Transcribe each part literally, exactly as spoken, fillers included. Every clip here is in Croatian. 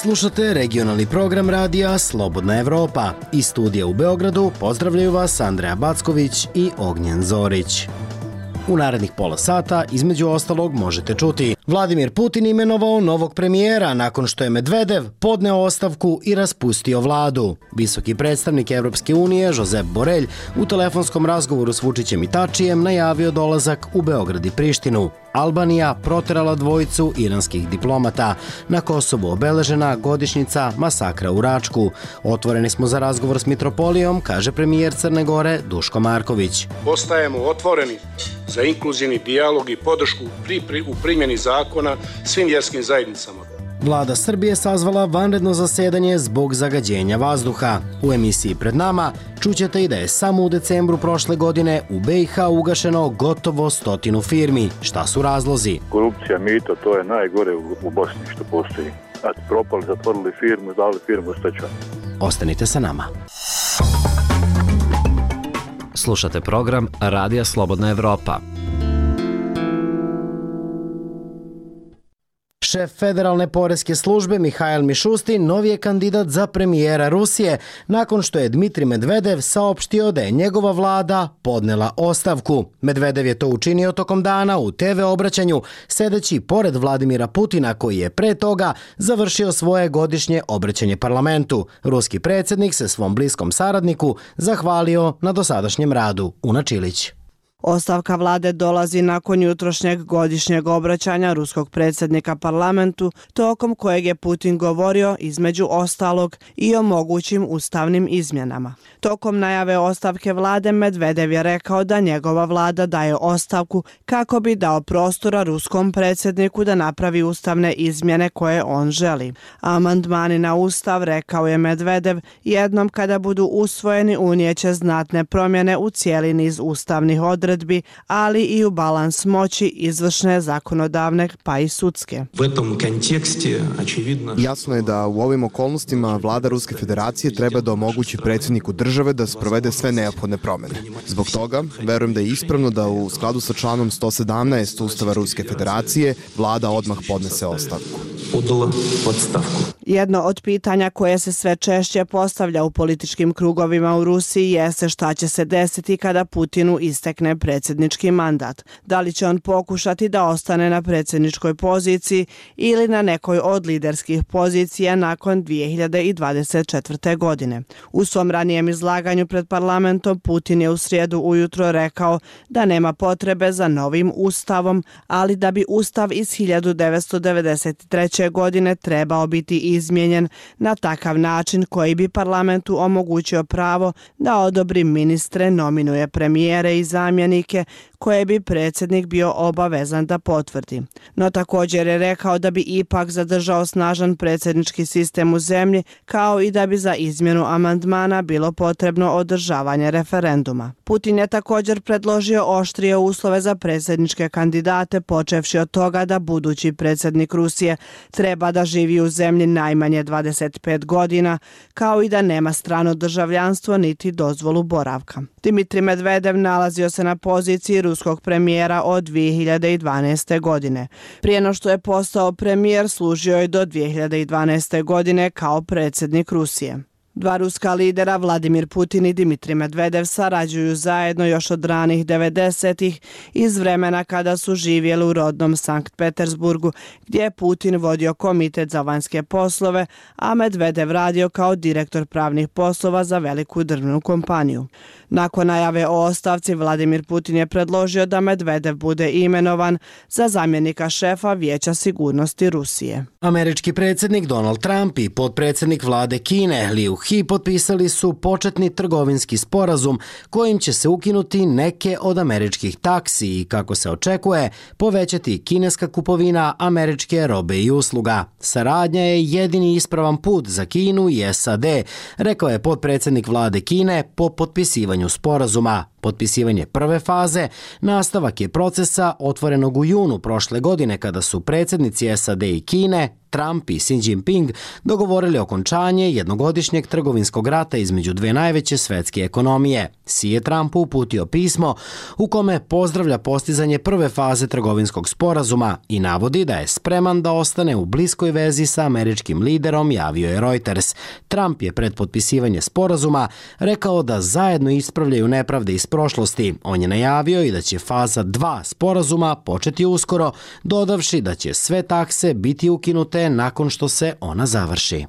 Slušate regionalni program radija Slobodna Evropa. Iz studija u Beogradu pozdravljaju vas Andreja Backović i Ognjen Zorić. U narednih pola sata, između ostalog, možete čuti: Vladimir Putin imenovao novog premijera nakon što je Medvedev podneo ostavku i raspustio vladu. Visoki predstavnik Evropske unije, Josep Borrell, u telefonskom razgovoru s Vučićem i Tačijem najavio dolazak u Beograd i Prištinu. Albanija proterala dvojicu iranskih diplomata. Na Kosovu obeležena godišnjica masakra u Račku. Otvoreni smo za razgovor s mitropolijom, kaže premijer Crne Gore Duško Marković. Ostajemo otvoreni za inkluzivni dijalog i podršku pri, pri, u primjeni zakona svim vjerskim zajednicama. Vlada Srbije sazvala vanredno zasedanje zbog zagađenja vazduha. U emisiji Pred nama čućete i da je samo u decembru prošle godine u B i H ugašeno gotovo stotinu firmi. Šta su razlozi? Korupcija, mito, to je najgore u, u Bosni što postoji. Znači, propali, zatvorili firmu, dali firmu u stečaj. Ostanite sa nama. Slušate program Radija Slobodna Evropa. Šef Federalne poreske službe Mihail Mišustin novi je kandidat za premijera Rusije nakon što je Dmitrij Medvedev saopštio da je njegova vlada podnela ostavku. Medvedev je to učinio tokom dana u te ve obraćanju, sedeći pored Vladimira Putina koji je pre toga završio svoje godišnje obraćanje parlamentu. Ruski predsjednik se svom bliskom saradniku zahvalio na dosadašnjem radu. Una Čilić. Ostavka vlade dolazi nakon jutrošnjeg godišnjeg obraćanja ruskog predsjednika parlamentu, tokom kojeg je Putin govorio, između ostalog, i o mogućim ustavnim izmjenama. Tokom najave ostavke vlade, Medvedev je rekao da njegova vlada daje ostavku kako bi dao prostora ruskom predsjedniku da napravi ustavne izmjene koje on želi. Amandmani na ustav, rekao je Medvedev, jednom kada budu usvojeni unijeće znatne promjene u cijeli niz ustavnih odredbi, ali i u balans moći izvršne, zakonodavne pa i sudske. Jasno je da u ovim okolnostima vlada Ruske federacije treba da omogući predsjedniku države da sprovede sve neophodne promjene. Zbog toga, verujem da je ispravno da u skladu sa članom sto sedamnaest Ustava Ruske federacije vlada odmah podnese ostavku. Jedno od pitanja koje se sve češće postavlja u političkim krugovima u Rusiji jeste šta će se desiti kada Putinu istekne predsjednički mandat. Da li će on pokušati da ostane na predsjedničkoj poziciji ili na nekoj od liderskih pozicija nakon dvije hiljade dvadeset četvrte. godine. U svom ranijem izlaganju pred parlamentom Putin je u srijedu ujutro rekao da nema potrebe za novim ustavom, ali da bi ustav iz hiljadu devetsto devedeset treće. godine trebao biti izmijenjen na takav način koji bi parlamentu omogućio pravo da odobri ministre, nominuje premijere i zamjenike koje bi predsjednik bio obavezan da potvrdi. No također je rekao da bi ipak zadržao snažan predsjednički sistem u zemlji, kao i da bi za izmjenu amandmana bilo potrebno održavanje referenduma. Putin je također predložio oštrije uslove za predsjedničke kandidate, počevši od toga da budući predsjednik Rusije treba da živi u zemlji najmanje dvadeset pet godina, kao i da nema strano državljanstvo niti dozvolu boravka. Dmitrij Medvedev nalazio se na poziciji ruskog premijera od dvije hiljade dvanaeste. godine. Prije no što je postao premijer, služio je do dvije hiljade dvanaeste. godine kao predsjednik Rusije. Dva ruska lidera, Vladimir Putin i Dmitrij Medvedev, sarađuju zajedno još od ranih devedesetih iz vremena kada su živjeli u rodnom Sankt Petersburgu, gdje je Putin vodio komitet za vanjske poslove, a Medvedev radio kao direktor pravnih poslova za veliku drvnu kompaniju. Nakon najave o ostavci, Vladimir Putin je predložio da Medvedev bude imenovan za zamjenika šefa Vijeća sigurnosti Rusije. Američki predsjednik Donald Trump i potpredsjednik vlade Kine Liu He potpisali su početni trgovinski sporazum kojim će se ukinuti neke od američkih taksi i, kako se očekuje, povećati kineska kupovina američke robe i usluga. Saradnja je jedini ispravan put za Kinu i S A D, rekao je potpredsjednik vlade Kine po potpisivanju sporazuma. Potpisivanje prve faze nastavak je procesa otvorenog u junu prošle godine kada su predsjednici S A D i Kine, Trump i Xi Jinping dogovorili okončanje jednogodišnjeg trgovinskog rata između dve najveće svetske ekonomije. Xi je Trumpu uputio pismo u kome pozdravlja postizanje prve faze trgovinskog sporazuma i navodi da je spreman da ostane u bliskoj vezi sa američkim liderom, javio je Reuters. Trump je pred potpisivanje sporazuma rekao da zajedno ispravljaju nepravde iz prošlosti. On je najavio i da će faza dva sporazuma početi uskoro, dodavši da će sve takse biti ukinute nakon što se ona završi.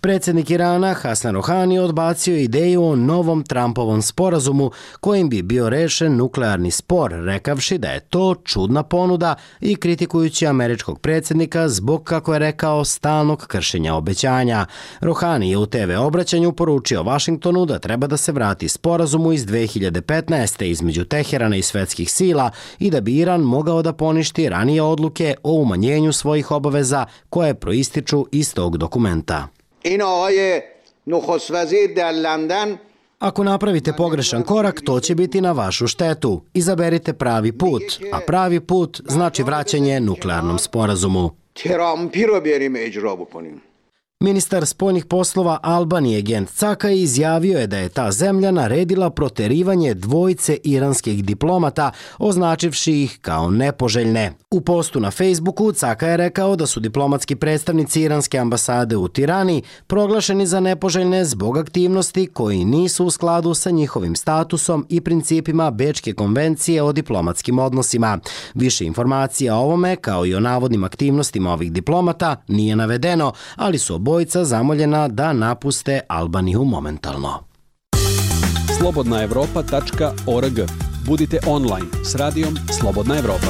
Predsjednik Irana Hasan Rohani odbacio ideju o novom Trumpovom sporazumu kojim bi bio rešen nuklearni spor, rekavši da je to čudna ponuda i kritikujući američkog predsjednika zbog, kako je rekao, stalnog kršenja obećanja. Rohani je u T V obraćanju poručio Vašingtonu da treba da se vrati sporazumu iz dve hiljade petnaeste. između Teherana i svetskih sila i da bi Iran mogao da poništi ranije odluke o umanjenju svojih obaveza koje proističu iz tog dokumenta. Ako napravite pogrešan korak, to će biti na vašu štetu. Izaberite pravi put, a pravi put znači vraćanje nuklearnom sporazumu. Ministar spoljnih poslova Albanije Gent Caka izjavio je da je ta zemlja naredila proterivanje dvojice iranskih diplomata, označivši ih kao nepoželjne. U postu na Facebooku Caka je rekao da su diplomatski predstavnici iranske ambasade u Tirani proglašeni za nepoželjne zbog aktivnosti koji nisu u skladu sa njihovim statusom i principima Bečke konvencije o diplomatskim odnosima. Više informacija o ovome, kao i o navodnim aktivnostima ovih diplomata, nije navedeno, ali su obojica zamoljena da napuste Albaniju momentalno. slobodna evropa tačka org. Budite online s radijom Slobodna Evropa.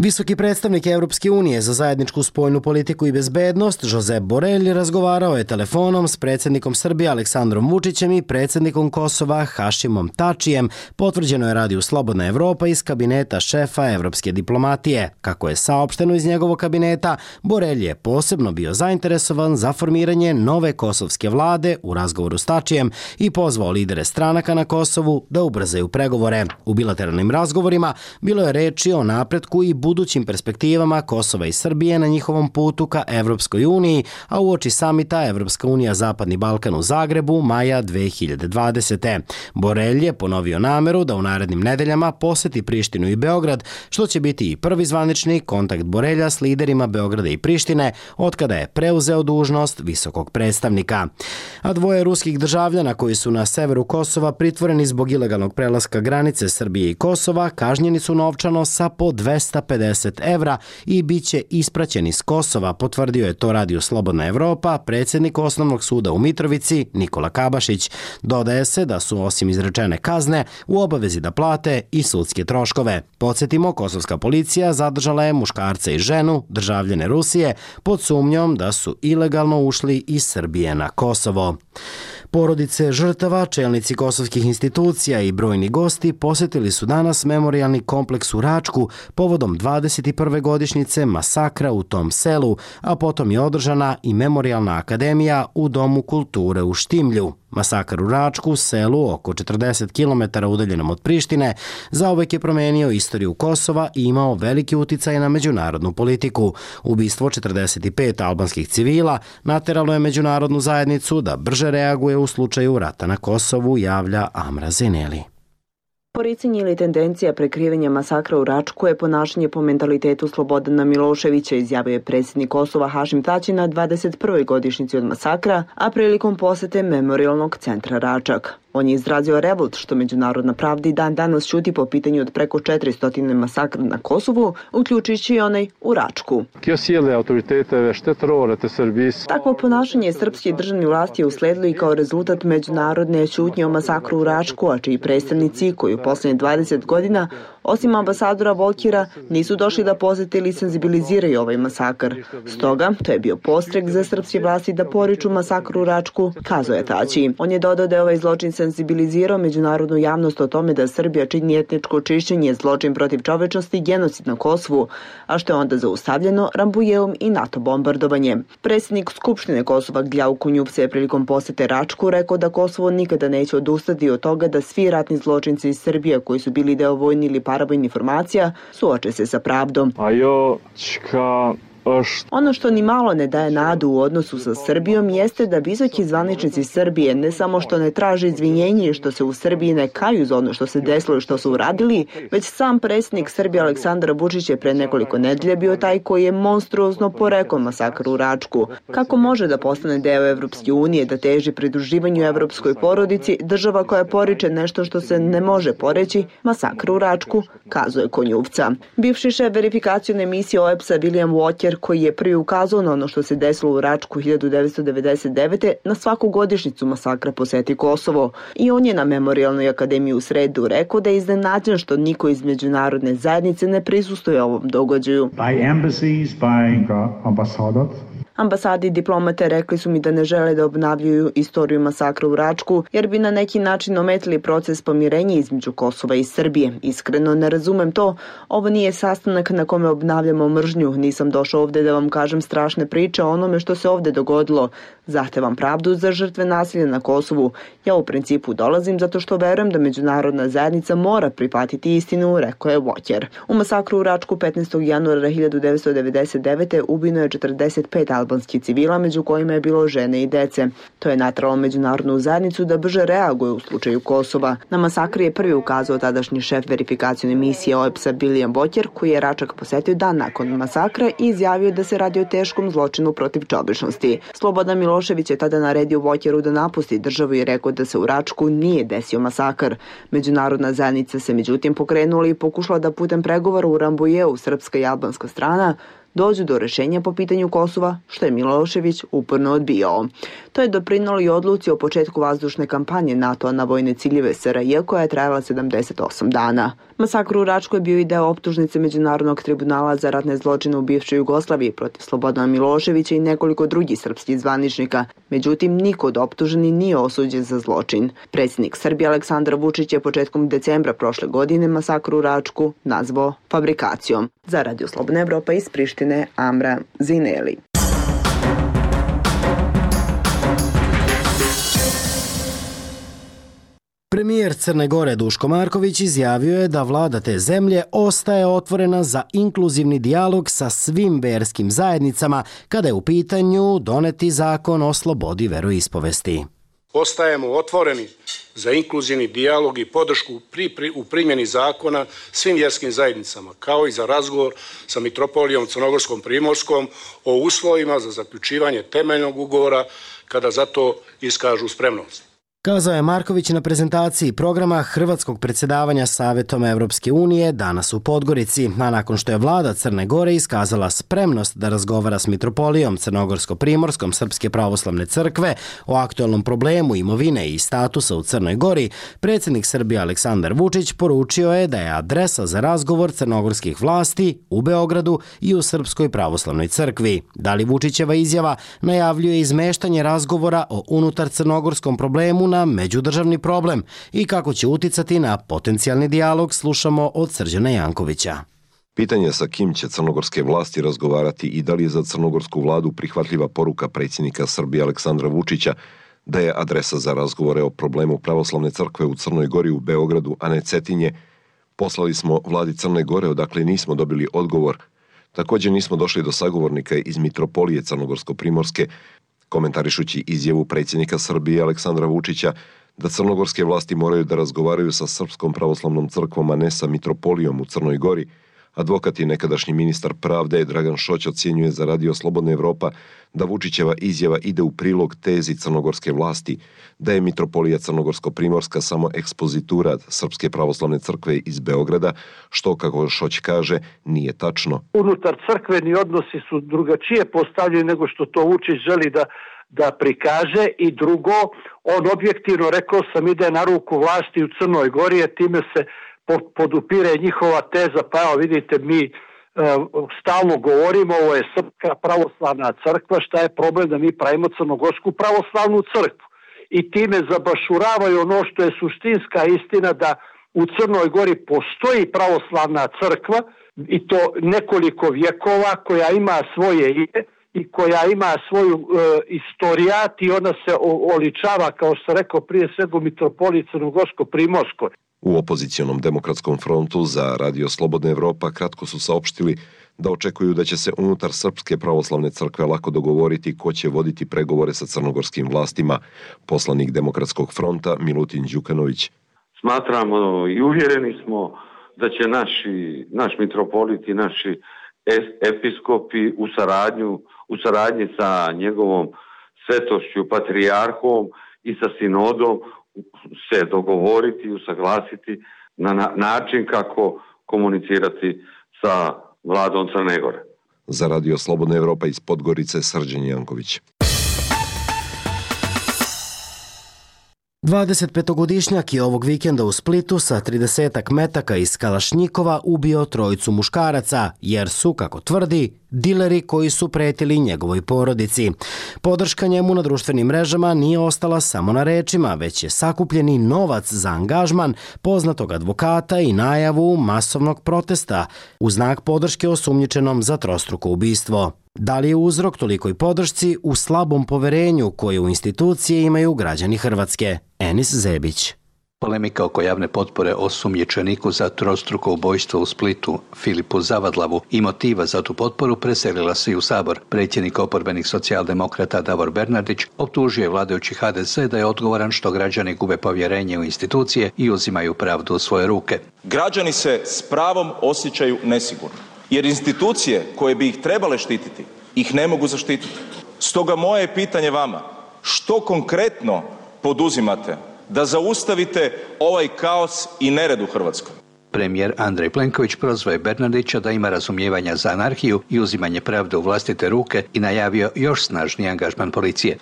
Visoki predstavnik Evropske unije za zajedničku spoljnu politiku i bezbednost Josep Borrell razgovarao je telefonom s predsjednikom Srbije Aleksandrom Vučićem i predsjednikom Kosova Hašimom Tačijem, potvrđeno je radiju Slobodna Evropa iz kabineta šefa evropske diplomatije. Kako je saopšteno iz njegovog kabineta, Borrell je posebno bio zainteresovan za formiranje nove kosovske vlade u razgovoru s Tačijem i pozvao lidere stranaka na Kosovu da ubrzaju pregovore. U bilateralnim razgovorima bilo je reči o napretku i budućim perspektivama Kosova i Srbije na njihovom putu ka Evropskoj uniji, a uoči samita Evropska unija Zapadni Balkan u Zagrebu maja dve hiljade dvadesete. Borrell je ponovio nameru da u narednim nedeljama poseti Prištinu i Beograd, što će biti i prvi zvanični kontakt Borrella s liderima Beograda i Prištine otkada je preuzeo dužnost visokog predstavnika. A dvoje ruskih državljana koji su na severu Kosova pritvoreni zbog ilegalnog prelaska granice Srbije i Kosova kažnjeni su novčano sa po dvesta pedeset evra i bit će ispraćeni s Kosova, potvrdio je to radio Slobodna Evropa predsjednik Osnovnog suda u Mitrovici Nikola Kabašić. Dodaje se da su osim izrečene kazne u obavezi da plate i sudske troškove. Podsjetimo, kosovska policija zadržala je muškarca i ženu, državljane Rusije, pod sumnjom da su ilegalno ušli iz Srbije na Kosovo. Porodice žrtava, čelnici kosovskih institucija i brojni gosti posjetili su danas memorijalni kompleks u Račku povodom dvadeset prve godišnjice masakra u tom selu, a potom je održana i memorijalna akademija u Domu kulture u Štimlju. Masakar u Račku, selu oko četrdeset kilometara udaljenom od Prištine, zauvek je promenio istoriju Kosova i imao veliki uticaj na međunarodnu politiku. Ubistvo četrdeset pet albanskih civila nateralo je međunarodnu zajednicu da brže reaguje u slučaju rata na Kosovu, javlja Amra Zeneli. Poricanje ili tendencija prekrivanja masakra u Račku je ponašanje po mentalitetu Slobodana Miloševića, izjavio je predsjednik Kosova Hašim Tači na dvadeset prvoj godišnjici od masakra, a prilikom posete memorijalnog centra Račak. On je izrazio revolt što međunarodna pravda i dan danas ćuti po pitanju od preko četiristo masakra na Kosovu, uključujući i onaj u Račku. Takvo ponašanje srpske državne vlasti je usledilo i kao rezultat međunarodne ćutnje o masakru u Račku, a čiji predstavnici koji u poslednjih dvadeset godina Osim ambasadora Volkera, nisu došli da posete ili senzibiliziraju ovaj masakr. Stoga, to je bio postrek za srpske vlasti da poriču masakru u Račku, kazao je Tači. On je dodao da je ovaj zločin senzibilizirao međunarodnu javnost o tome da Srbija čini etničko čišćenje, zločin protiv čovečnosti i genocid na Kosovu, a što je onda zaustavljeno Rambujevom i NATO bombardovanje. Predsjednik Skupštine Kosova Gljauko Njupse je prilikom posete Račku rekao da Kosovo nikada neće odustati od toga da svi ratni zločinci iz Srbije koji su bili deo vojni ili paravojnih formacija suoče se sa pravdom. Ono što ni malo ne daje nadu u odnosu sa Srbijom jeste da visoki zvaničnici Srbije ne samo što ne traže izvinjenje i što se u Srbiji ne kaju za ono što se desilo i što su uradili, već sam predsjednik Srbije Aleksandar Vučić je pre nekoliko nedelja bio taj koji je monstruozno porekao masakr u Račku. Kako može da postane deo Evropske unije, da teži pridruživanju evropskoj porodici, država koja poriče nešto što se ne može poreći, masakr u Račku, kazuje Konjuvca. Bivši šef verifikacione misije O E B S-a William Walker, koji je prvi ukazao na ono što se desilo u Račku hiljadu devetsto devedeset devete. na svaku godišnjicu masakra poseti Kosovo. I on je na Memorijalnoj akademiji u sredu rekao da je iznenađen što niko iz međunarodne zajednice ne prisustuje ovom događaju. By embassies, by ambassadors. Ambasadi i diplomate rekli su mi da ne žele da obnavljaju istoriju masakra u Račku, jer bi na neki način ometili proces pomirenja između Kosova i Srbije. Iskreno ne razumem to. Ovo nije sastanak na kome obnavljamo mržnju. Nisam došao ovde da vam kažem strašne priče o onome što se ovde dogodilo. Zahtevam pravdu za žrtve nasilja na Kosovu. Ja u principu dolazim zato što verujem da međunarodna zajednica mora prihvatiti istinu, rekao je Walker. U masakru u Račku petnaestog januara hiljadu devetsto devedeset devete. ubijeno je četrdeset pet albanskih civila, među kojima je bilo žene i dece. To je nateralo međunarodnu zajednicu da brže reaguje u slučaju Kosova. Na masakr je prvi ukazao tadašnji šef verifikacione misije O E B S-a William Walker, koji je Račak posetio dan nakon masakra i izjavio da se radi o teškom zločinu protiv čovečnosti. Slobodan Milošević je tada naredio Walkeru da napusti državu i rekao da se u Račku nije desio masakr. Međunarodna zajednica se međutim pokrenula i pokušala da putem pregovora u Rambujeu srpska i albanska strana dođu do rešenja po pitanju Kosova, što je Milošević uporno odbijao. To je doprinalo i odluci o početku vazdušne kampanje NATO-a na vojne ciljeve S R J koja je trajala sedamdeset osam dana. Masakr u Račku je bio i deo optužnice Međunarodnog tribunala za ratne zločine u bivšoj Jugoslaviji protiv Slobodana Miloševića i nekoliko drugih srpskih zvaničnika. Međutim, niko od optuženi nije osuđen za zločin. Predsjednik Srbije Aleksandar Vučić je početkom decembra prošle godine masakr u Račku nazvao fabrikacijom. Za Radio Slobodna Evropa iz Prištine, Amra Zineli. Premijer Crne Gore Duško Marković izjavio je da vlada te zemlje ostaje otvorena za inkluzivni dijalog sa svim verskim zajednicama kada je u pitanju doneti zakon o slobodi veroispovesti. Ostajemo otvoreni za inkluzivni dijalog i podršku pri, pri, u primjeni zakona svim vjerskim zajednicama, kao i za razgovor sa mitropolijom Crnogorskom Primorskom o uslovima za zaključivanje temeljnog ugovora kada za to iskažu spremnost. Kazao je Marković na prezentaciji programa hrvatskog predsjedavanja Savetom Evropske unije danas u Podgorici, a nakon što je vlada Crne Gore iskazala spremnost da razgovara s mitropolijom Crnogorsko-Primorskom Srpske pravoslavne crkve o aktualnom problemu imovine i statusa u Crnoj Gori, predsjednik Srbije Aleksandar Vučić poručio je da je adresa za razgovor crnogorskih vlasti u Beogradu i u Srpskoj pravoslavnoj crkvi. Da li Vučićeva izjava najavljuje izmeštanje razgovora o unutar crnogorskom problemu na međudržavni problem i kako će uticati na potencijalni dijalog, slušamo od Srđana Jankovića. Pitanje sa kim će crnogorske vlasti razgovarati i da li je za crnogorsku vladu prihvatljiva poruka predsjednika Srbije Aleksandra Vučića da je adresa za razgovore o problemu pravoslavne crkve u Crnoj Gori u Beogradu, a ne Cetinje, poslali smo vladi Crne Gore odakle nismo dobili odgovor. Također nismo došli do sagovornika iz mitropolije Crnogorsko-Primorske, komentarišući izjavu predsjednika Srbije Aleksandra Vučića da crnogorske vlasti moraju da razgovaraju sa Srpskom pravoslavnom crkvom, a ne sa mitropolijom u Crnoj Gori. Advokat i nekadašnji ministar pravde Dragan Šoć ocjenjuje za Radio Slobodna Evropa da Vučićeva izjava ide u prilog tezi crnogorske vlasti, da je mitropolija Crnogorsko-Primorska samo ekspozitura Srpske pravoslavne crkve iz Beograda, što, kako Šoć kaže, nije tačno. Unutar crkveni odnosi su drugačije postavljeni nego što to Vučić želi da da prikaže i drugo, on objektivno, rekao sam, ide na ruku vlasti u Crnoj Gori, a time se podupire njihova teza, pa evo vidite mi stalno govorimo, ovo je Srpska pravoslavna crkva, šta je problem da mi pravimo Crnogorsku pravoslavnu crkvu. I time zabašuravaju ono što je suštinska istina, da u Crnoj Gori postoji pravoslavna crkva i to nekoliko vjekova, koja ima svoje ime i koja ima svoju e, istorijat i ona se oličava, kao što rekao prije svega, u mitropoliji Crnogorsko-Primorskoj. U opozicionom demokratskom frontu za Radio Slobodna Evropa kratko su saopštili da očekuju da će se unutar Srpske pravoslavne crkve lako dogovoriti ko će voditi pregovore sa crnogorskim vlastima. Poslanik Demokratskog fronta Milutin Đukanović. Smatramo i uvjereni smo da će naši, naš mitropolit i naši episkopi u saradnju, u saradnji sa njegovom svetošću, patrijarhom i sa sinodom se dogovoriti i usaglasiti na način kako komunicirati sa vladom Crne Gore. Za Radio Slobodna Evropa iz Podgorice, Srđan Janković. dvadesetpetogodišnjak je ovog vikenda u Splitu sa tridesetak metaka iz kalašnjikova ubio trojicu muškaraca, jer su, kako tvrdi, dileri koji su pretili njegovoj porodici. Podrška njemu na društvenim mrežama nije ostala samo na rečima, već je sakupljeni novac za angažman poznatog advokata i najavu masovnog protesta u znak podrške osumnjičenom za trostruko ubistvo. Da li je uzrok tolikoj podršci u slabom poverenju koje u institucije imaju građani Hrvatske? Enis Zebić. Polemika oko javne potpore osumnjičeniku za trostruko ubojstvo u Splitu, Filipu Zavadlavu, i motiva za tu potporu preselila se i u Sabor. Predsjednik oporbenih socijaldemokrata Davor Bernardić optužio je vladajući ha de ze da je odgovoran što građani gube povjerenje u institucije i uzimaju pravdu u svoje ruke. Građani se s pravom osjećaju nesigurno, jer institucije koje bi ih trebale štititi ih ne mogu zaštititi. Stoga moje je pitanje vama, što konkretno poduzimate da zaustavite ovaj kaos i nered u Hrvatskoj? Premijer Andrej Plenković prozvao je Bernardića da ima razumijevanja za anarhiju i uzimanje pravde u vlastite ruke i najavio još snažniji angažman policije.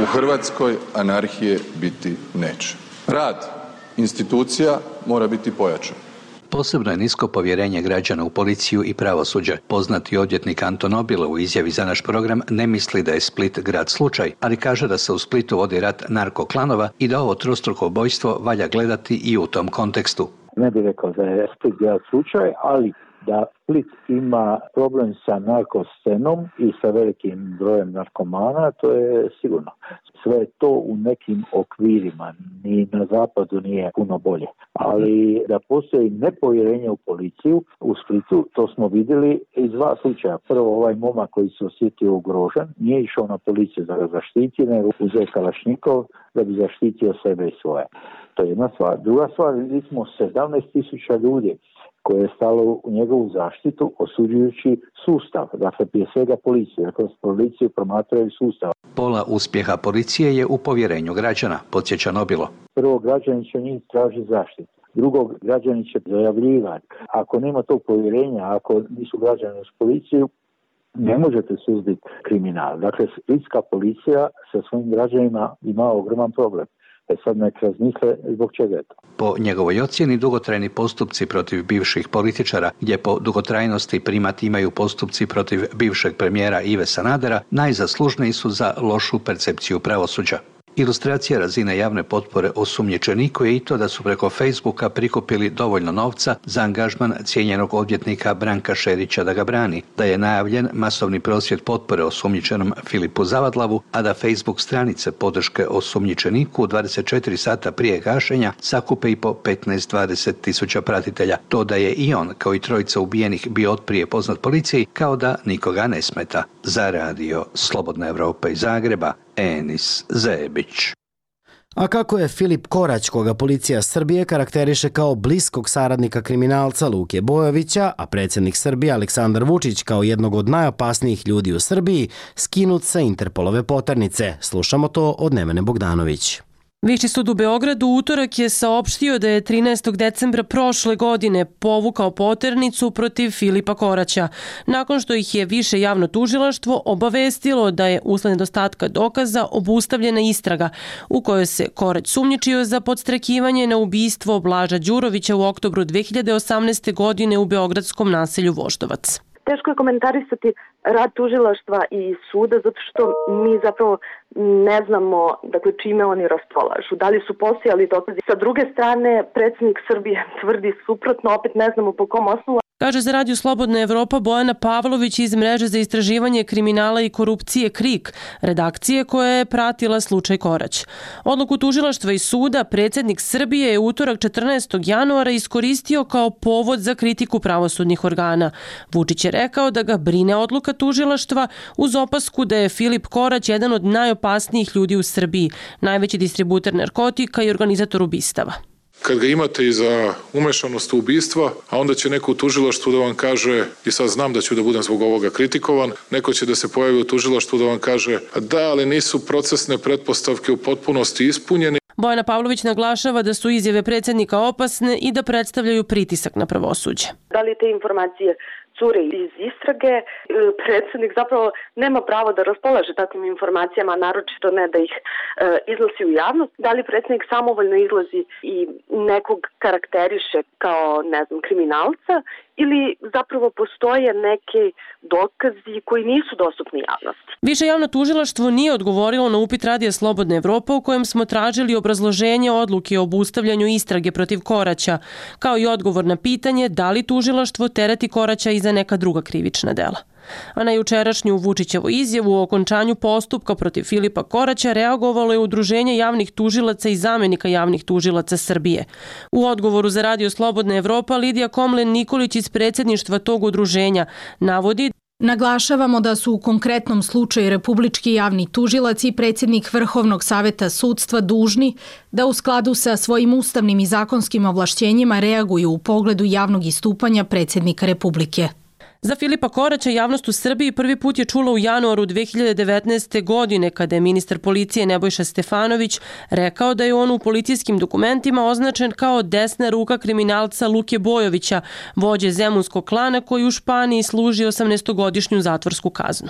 U Hrvatskoj anarhije biti neće. Rad institucija mora biti pojačan. Posebno je nisko povjerenje građana u policiju i pravosuđe. Poznati odvjetnik Anton Obilo u izjavi za naš program ne misli da je Split grad slučaj, ali kaže da se u Splitu vodi rat narkoklanova i da ovo trostruko ubojstvo valja gledati i u tom kontekstu. Ne bih rekao da je Split grad slučaj, ali da Split ima problem sa narkoscenom i sa velikim brojem narkomana, to je sigurno. Sve je to u nekim okvirima, ni na zapadu nije puno bolje. Ali da postoji nepovjerenje u policiju u Splitu, to smo vidjeli iz dva slučaja. Prvo, ovaj momak koji se osjetio ugrožen, nije išao na policiju da ga zaštiti, nego uzeo kalašnjikov da bi zaštitio sebe i svoje. To je jedna stvar. Druga stvar, vidjeli smo sedamnaest tisuća ljudi koje je stalo u njegovu zaštitu osuđujući sustav, dakle prije svega policiju, dakle policiju promatraju sustav. Pola uspjeha policije je u povjerenju građana, podsjeća Nobilo. Prvo, građani će njih tražiti zaštitu. Drugo, građani će dojavljivati. Ako nema tog povjerenja, ako nisu građani uz policiju, ne možete suzbiti kriminal. Dakle, splitska policija sa svojim građanima ima ogroman problem. E sad nek razmisle zbog čega je to. Po njegovoj ocjeni, dugotrajni postupci protiv bivših političara, gdje po dugotrajnosti primat imaju postupci protiv bivšeg premijera Ive Sanadera, najzaslužniji su za lošu percepciju pravosuđa. Ilustracija razine javne potpore osumnjičeniku je i to da su preko Facebooka prikupili dovoljno novca za angažman cijenjenog odvjetnika Branka Šerića da ga brani, da je najavljen masovni prosvjed potpore osumnjičenom Filipu Zavadlavu, a da Facebook stranice podrške osumnjičeniku dvadeset četiri sata prije gašenja sakupe i po petnaest do dvadeset tisuća pratitelja. To da je i on, kao i trojica ubijenih, bio otprije poznat policiji, kao da nikoga ne smeta. Za Radio Slobodna Evropa iz Zagreba, Enis Zebić. A kako je Filip Korać, koga policija Srbije karakteriše kao bliskog saradnika kriminalca Luke Bojovića, a predsjednik Srbije Aleksandar Vučić kao jednog od najopasnijih ljudi u Srbiji, skinut sa Interpolove poternice? Slušamo to od Nevene Bogdanović. Viši sud u Beogradu u utorak je saopštio da je trinaestog decembra prošle godine povukao poternicu protiv Filipa Koraća, nakon što ih je više javno tužilaštvo obavestilo da je usled nedostatka dokaza obustavljena istraga u kojoj se Korać sumnjičio za podstrekivanje na ubistvo Blaža Đurovića u oktobru dve hiljade osamnaeste. godine u beogradskom naselju Voždovac. Teško je komentarisati rad tužilaštva i suda zato što mi zapravo ne znamo dakle, čime oni raspolažu. Da li su postojali dokazi? Sa druge strane, predsjednik Srbije tvrdi suprotno, opet ne znamo po kom osnovu. Kaže za Radio Slobodna Evropa Bojana Pavlović iz Mreže za istraživanje kriminala i korupcije KRIK, redakcije koja je pratila slučaj Korać. Odluku tužilaštva i suda predsjednik Srbije je utorak četrnaestog januara iskoristio kao povod za kritiku pravosudnih organa. Vučić je rekao da ga brine odluka tužilaštva uz opasku da je Filip Korać jedan od najopasnijih ljudi u Srbiji, najveći distributer narkotika i organizator ubistava. Kad ga imate i za umešanost u ubistva, a onda će neko u tužilaštvu da vam kaže, i sad znam da ću da budem zbog ovoga kritikovan, neko će da se pojavi u tužilaštvu da vam kaže da, ali nisu procesne pretpostavke u potpunosti ispunjene. Bojana Pavlović naglašava da su izjave predsjednika opasne i da predstavljaju pritisak na pravosuđe. Da li te informacije cure iz istrage, predsjednik zapravo nema pravo da raspolaže takvim informacijama, naročito ne da ih e, iznosi u javnost. Da li predsjednik samovoljno izlazi i nekog karakteriše kao, ne znam, kriminalca ili zapravo postoje neke dokazi koji nisu dostupni javnosti. Više javno tužilaštvo nije odgovorilo na upit Radija Slobodna Evropa u kojem smo tražili obrazloženje odluke o obustavljanju istrage protiv Koraća, kao i odgovor na pitanje da li tužilaštvo tereti Koraća i za neka druga krivična dela. A na jučerašnju Vučićevu izjavu o okončanju postupka protiv Filipa Koraća reagovalo je Udruženje javnih tužilaca i zamenika javnih tužilaca Srbije. U odgovoru za Radio Slobodna Evropa Lidija Komlen-Nikolić iz predsjedništva tog udruženja navodi: Naglašavamo da su u konkretnom slučaju Republički javni tužilac i predsjednik Vrhovnog saveta sudstva dužni da u skladu sa svojim ustavnim i zakonskim ovlašćenjima reaguju u pogledu javnog istupanja predsjednika Republike. Za Filipa Koraća javnost u Srbiji prvi put je čula u januaru dve hiljade devetnaeste. godine kada je ministar policije Nebojša Stefanović rekao da je on u policijskim dokumentima označen kao desna ruka kriminalca Luke Bojovića, vođe zemunskog klana koji u Španiji služi osamnaestogodišnju zatvorsku kaznu.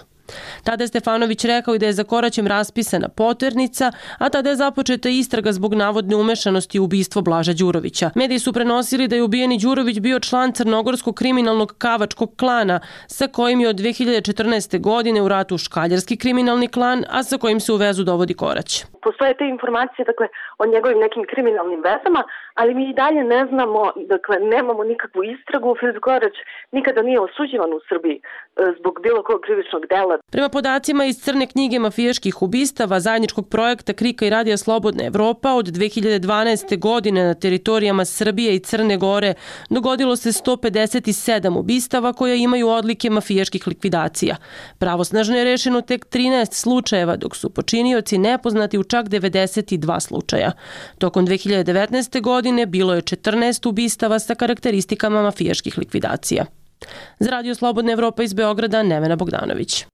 Tada je Stefanović rekao i da je za Koraćem raspisana poternica, a tada je započeta istraga zbog navodne umešanosti u ubistvo Blaža Đurovića. Mediji su prenosili da je ubijeni Đurović bio član crnogorskog kriminalnog kavačkog klana, sa kojim je od dve hiljade četrnaeste. godine u ratu škaljarski kriminalni klan, a sa kojim se u vezu dovodi Korać. Postoje te informacije, dakle, o njegovim nekim kriminalnim vezama, ali mi i dalje ne znamo, dakle, nemamo nikakvu istragu. Filip Korać nikada nije osuđivan u Srbiji zbog bilo kog krivičnog dela. Prema podacima iz crne knjige mafijaških ubistava zajedničkog projekta Krika i Radija Slobodna Evropa od dve hiljade dvanaeste. godine na teritorijama Srbije i Crne Gore dogodilo se sto pedeset sedam ubistava koje imaju odlike mafijaških likvidacija. Pravosnažno je rešeno tek trinaest slučajeva, dok su počinioci nepoznati u čak devedeset dva slučaja. Tokom dve hiljade devetnaeste. godine bilo je četrnaest ubistava sa karakteristikama mafijaških likvidacija. Za Radio Slobodna Evropa iz Beograda, Nevena Bogdanović.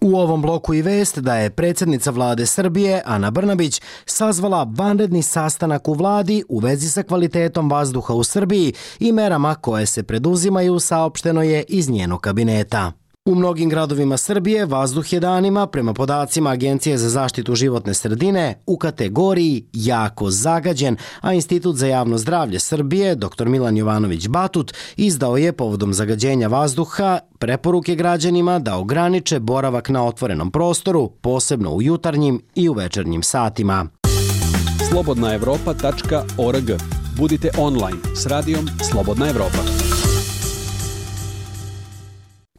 U ovom bloku i vest da je predsjednica vlade Srbije, Ana Brnabić, sazvala vanredni sastanak u vladi u vezi sa kvalitetom vazduha u Srbiji i merama koje se preduzimaju, saopšteno je iz njenog kabineta. U mnogim gradovima Srbije vazduh je danima, prema podacima Agencije za zaštitu životne sredine, u kategoriji jako zagađen, a Institut za javno zdravlje Srbije, dr Milan Jovanović Batut, izdao je povodom zagađenja vazduha preporuke građanima da ograniče boravak na otvorenom prostoru, posebno u jutarnjim i u večernjim satima. slobodna evropa tačka org. Budite online s radijom Slobodna Evropa.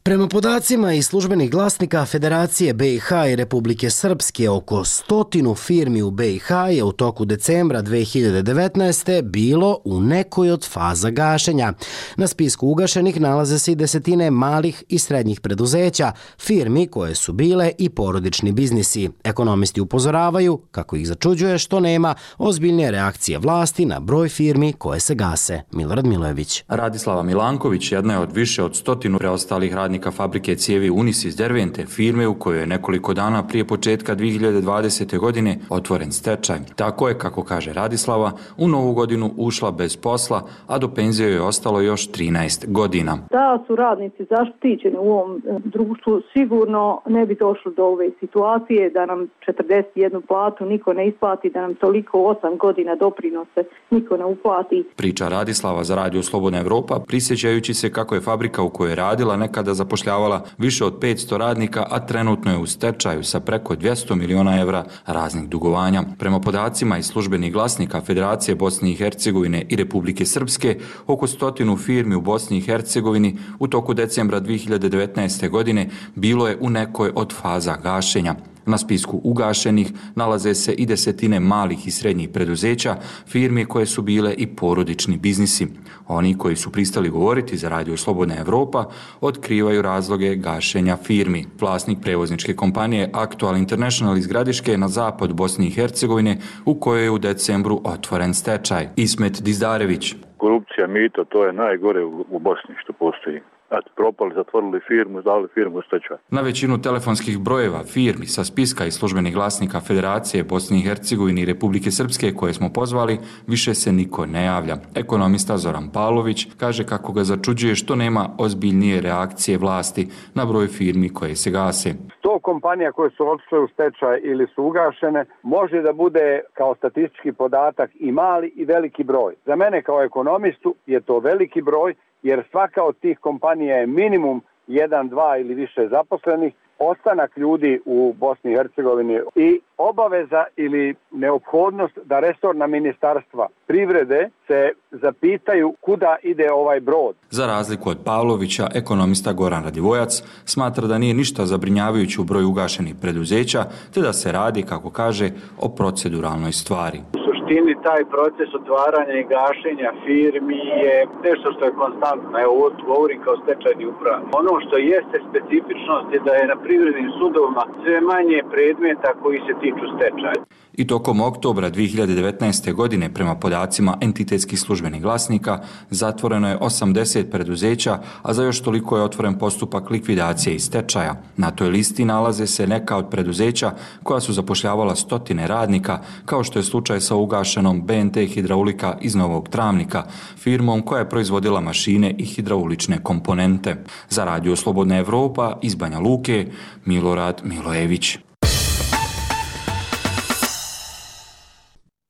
Prema podacima iz službenih glasnika Federacije B i H i Republike Srpske, oko stotinu firmi u B i H je u toku decembra dve hiljade devetnaeste. bilo u nekoj od faza gašenja. Na spisku ugašenih nalaze se i desetine malih i srednjih preduzeća, firmi koje su bile i porodični biznisi. Ekonomisti upozoravaju kako ih začuđuje što nema ozbiljnije reakcije vlasti na broj firmi koje se gase. Milorad Milojević. Radislava Milanković jedna je od više od stotinu preostalih radnika radnika fabrike cijevi Unis iz Dervente, firme u kojoj je nekoliko dana prije početka dvije hiljade dvadesete. godine otvoren stečaj. Tako je, kako kaže Radislava, u novu godinu ušla bez posla, a do penzije je ostalo još trinaest godina. Da su radnici zaštićeni u ovom društvu, sigurno ne bi došlo do ove situacije da nam četrdeset jednu platu niko ne isplati, da nam toliko osam godina doprinose niko ne uplati. Priča Radislava za Radio Slobodna Evropa, prisjećajući se kako je fabrika u kojoj je radila nekada zapošljavala više od petsto radnika, a trenutno je u stečaju sa preko dvjesto miliona evra raznih dugovanja. Prema podacima iz službenih glasnika Federacije Bosne i Hercegovine i Republike Srpske, oko stotinu firmi u Bosni i Hercegovini u toku decembra dvije hiljade devetnaeste. godine bilo je u nekoj od faza gašenja. Na spisku ugašenih nalaze se i desetine malih i srednjih preduzeća, firmi koje su bile i porodični biznisi. Oni koji su pristali govoriti za Radio Slobodna Evropa otkrivaju razloge gašenja firmi. Vlasnik prevozničke kompanije Aktual International iz Gradiške na zapad Bosne i Hercegovine, u kojoj je u decembru otvoren stečaj. Ismet Dizdarević. Korupcija, mito, to je najgore u Bosni što postoji. Znači, propali, zatvorili firmu, dali firmu u stečaj. Na većinu telefonskih brojeva firmi sa spiska i službenih glasnika Federacije Bosne i Hercegovine i Republike Srpske koje smo pozvali, više se niko ne javlja. Ekonomista Zoran Pavlović kaže kako ga začuđuje što nema ozbiljnije reakcije vlasti na broj firmi koje se gase. sto kompanija koje su otišle u stečaj ili su ugašene može da bude kao statistički podatak i mali i veliki broj. Za mene kao ekonomistu je to veliki broj, jer svaka od tih kompanija je minimum jedan, dva ili više zaposlenih, ostanak ljudi u Bosni i Hercegovini i obaveza ili neophodnost da resorna ministarstva privrede se zapitaju kuda ide ovaj brod. Za razliku od Pavlovića, ekonomista Goran Radivojac smatra da nije ništa zabrinjavajući u broju ugašenih preduzeća, te da se radi, kako kaže, o proceduralnoj stvari. suštini taj proces otvaranja i gašenja firmi je nešto što je konstantno. Evo, govorim kao stečajni upravnik. Ono što jeste specifičnost je da je na privrednim sudovima sve manje predmeta koji se tiču stečaja. I tokom oktobra dvije hiljade devetnaeste. godine, prema podacima entitetskih službenih glasnika, zatvoreno je osamdeset preduzeća, a za još toliko je otvoren postupak likvidacije i stečaja. Na toj listi nalaze se neka od preduzeća koja su zapošljavala stotine radnika, kao što je slučaj sa ugašenom B N T Hidraulika iz Novog Travnika, firmom koja je proizvodila mašine i hidraulične komponente. Za Radio Slobodna Evropa iz Banja Luke, Milorad Milojević.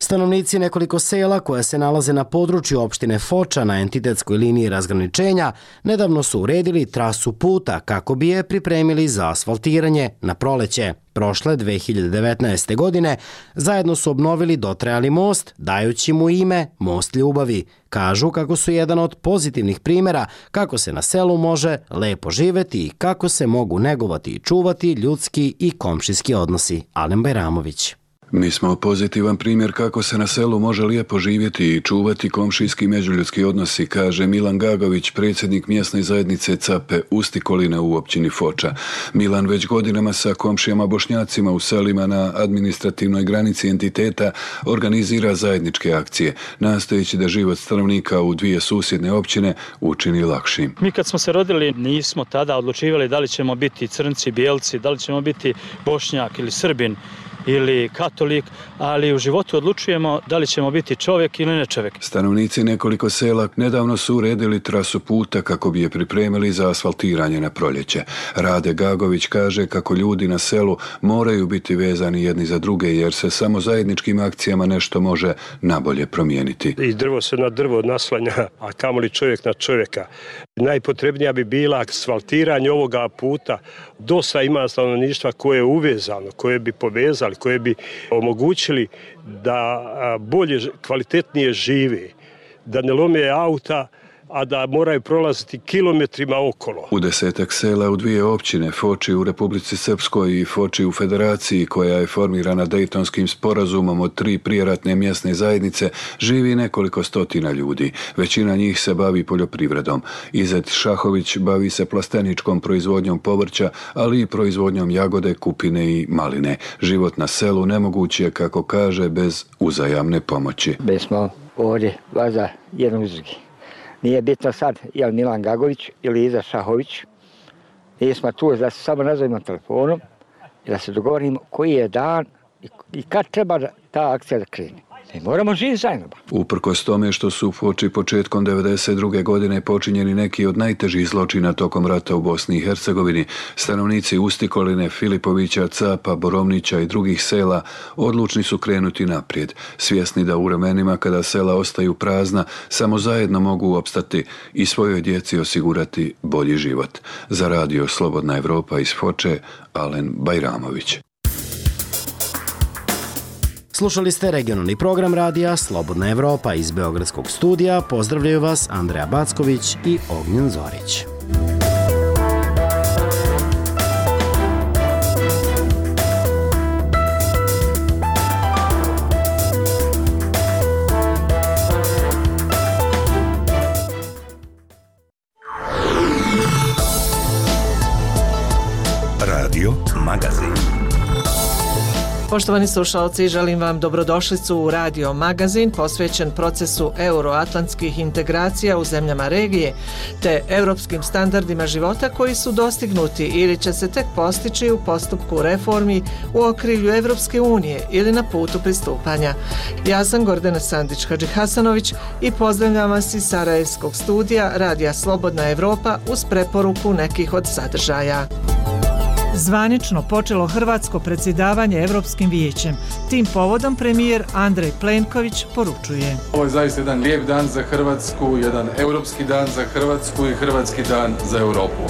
Stanovnici nekoliko sela koja se nalaze na području opštine Foča na entitetskoj liniji razgraničenja nedavno su uredili trasu puta kako bi je pripremili za asfaltiranje na proleće. Prošle dvije hiljade devetnaeste. godine zajedno su obnovili dotrajali most, dajući mu ime Most ljubavi. Kažu kako su jedan od pozitivnih primjera kako se na selu može lepo živeti i kako se mogu negovati i čuvati ljudski i komšijski odnosi. Alen Bajramović. Mi smo pozitivan primjer kako se na selu može lijepo živjeti i čuvati komšijski i međuljudski odnosi, kaže Milan Gagović, predsjednik mjesne zajednice Cape Ustikolina u općini Foča. Milan već godinama sa komšijama Bošnjacima u selima na administrativnoj granici entiteta organizira zajedničke akcije, nastojeći da život stanovnika u dvije susjedne općine učini lakšim. Mi kad smo se rodili nismo tada odlučivali da li ćemo biti crnci, bijelci, da li ćemo biti Bošnjak ili Srbin ili katolik, ali u životu odlučujemo da li ćemo biti čovjek ili ne čovjek. Stanovnici nekoliko sela nedavno su uredili trasu puta kako bi je pripremili za asfaltiranje na proljeće. Rade Gagović kaže kako ljudi na selu moraju biti vezani jedni za druge jer se samo zajedničkim akcijama nešto može nabolje promijeniti. I drvo se na drvo naslanja, a kamoli čovjek na čovjeka. Najpotrebnija bi bila asfaltiranje ovoga puta. Dosta ima stanovništva koje je uvezano, koje bi povezali, koje bi omogućili da bolje, kvalitetnije žive, da ne lome auta, a da moraju prolaziti kilometrima okolo. U desetak sela u dvije općine, Foči u Republici Srpskoj i Foči u Federaciji, koja je formirana Dejtonskim sporazumom od tri prijeratne mjesne zajednice, živi nekoliko stotina ljudi. Većina njih se bavi poljoprivredom. Izet Šahović bavi se plasteničkom proizvodnjom povrća, ali i proizvodnjom jagode, kupine i maline. Život na selu nemoguć je, kako kaže, bez uzajamne pomoći. Mi smo ovdje vaza jednog uz drugi. Nije bitno sad je li Milan Gagović ili Iza Šahović, Mi smo tu da se samo nazovimo telefonom i da se dogovorimo koji je dan i kad treba ta akcija da krene. Ne moramo živjeti zajedno. Uprkos tome što su Foči početkom devedeset druge godine počinjeni neki od najtežih zločina tokom rata u Bosni i Hercegovini, stanovnici Ustikoline, Filipovića, Capa, Borovnića i drugih sela odlučni su krenuti naprijed, svjesni da u vremenima kada sela ostaju prazna, samo zajedno mogu opstati i svojoj djeci osigurati bolji život. Za radio Slobodna Evropa iz Foče, Alen Bajramović. Slušali ste regionalni program radija Slobodna Evropa iz Beogradskog studija. Pozdravljaju vas Andreja Backović i Ognjen Zorić. Radio Magazin. Poštovani slušalci, želim vam dobrodošlicu u Radio Magazin posvećen procesu euroatlantskih integracija u zemljama regije te europskim standardima života koji su dostignuti ili će se tek postići u postupku reformi u okrilju Evropske unije ili na putu pristupanja. Ja sam Gordana Sandić-Hadžihasanović i pozdravljam vas iz Sarajevskog studija Radija Slobodna Evropa uz preporuku nekih od sadržaja. Zvanično počelo hrvatsko predsjedavanje Evropskim vijećem. Tim povodom premijer Andrej Plenković poručuje: Ovo je zaista jedan lijep dan za Hrvatsku, jedan europski dan za Hrvatsku i hrvatski dan za Europu.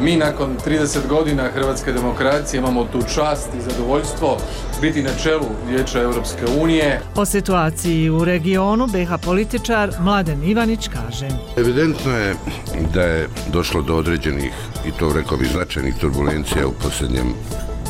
Mi nakon trideset godina hrvatske demokracije imamo tu čast i zadovoljstvo biti na čelu Vijeća Europske unije. O situaciji u regionu be ha političar Mladen Ivanić kaže: Evidentno je da je došlo do određenih, i to rekao bih značajnih turbulencija u posljednjem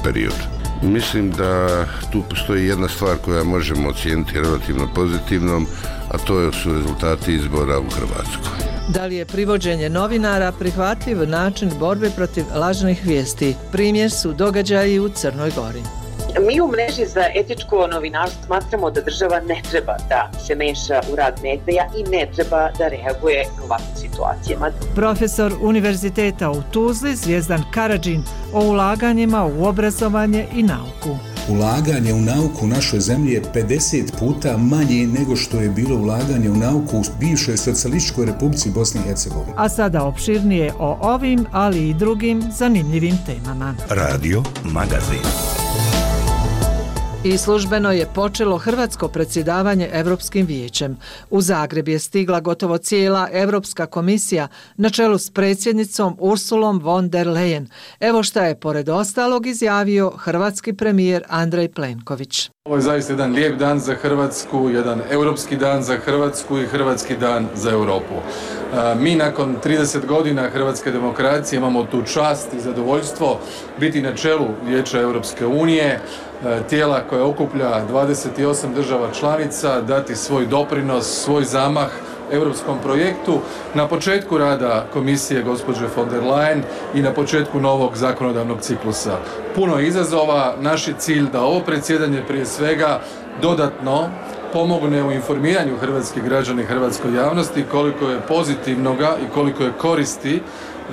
periodu. Mislim da tu postoji jedna stvar koja možemo ocijeniti relativno pozitivnom, a to su rezultati izbora u Hrvatskoj. Da li je privođenje novinara prihvatljiv način borbe protiv lažnih vijesti? Primjer su događaji u Crnoj Gori. Mi u mreži za etičko novinarstvo smatramo da država ne treba da se meša u rad medija i ne treba da reaguje u ovakvim situacijama. Profesor Univerziteta u Tuzli Zvijezdan Karadžin o ulaganjima u obrazovanje i nauku. Ulaganje u nauku u našoj zemlji je pedeset puta manje nego što je bilo ulaganje u nauku u bivšoj socijalističkoj Republici Bosne i Hercegovine. A sada opširnije o ovim, ali i drugim zanimljivim temama. Radio Magazin. I službeno je počelo hrvatsko predsjedavanje Evropskim vijećem. U Zagreb je stigla gotovo cijela Evropska komisija na čelu s predsjednicom Ursulom von der Leyen. Evo šta je pored ostalog izjavio hrvatski premijer Andrej Plenković. Ovo je zaista jedan lijep dan za Hrvatsku, jedan europski dan za Hrvatsku i hrvatski dan za Europu. Mi nakon trideset godina hrvatske demokracije imamo tu čast i zadovoljstvo biti na čelu Vijeća Europske unije, tijela koje okuplja dvadeset osam država članica, dati svoj doprinos, svoj zamah europskom projektu na početku rada komisije gospođe von der Leyen i na početku novog zakonodavnog ciklusa. Puno je izazova, naš je cilj da ovo predsjedanje prije svega dodatno pomogne u informiranju hrvatskih građana i hrvatskoj javnosti koliko je pozitivnoga i koliko je koristi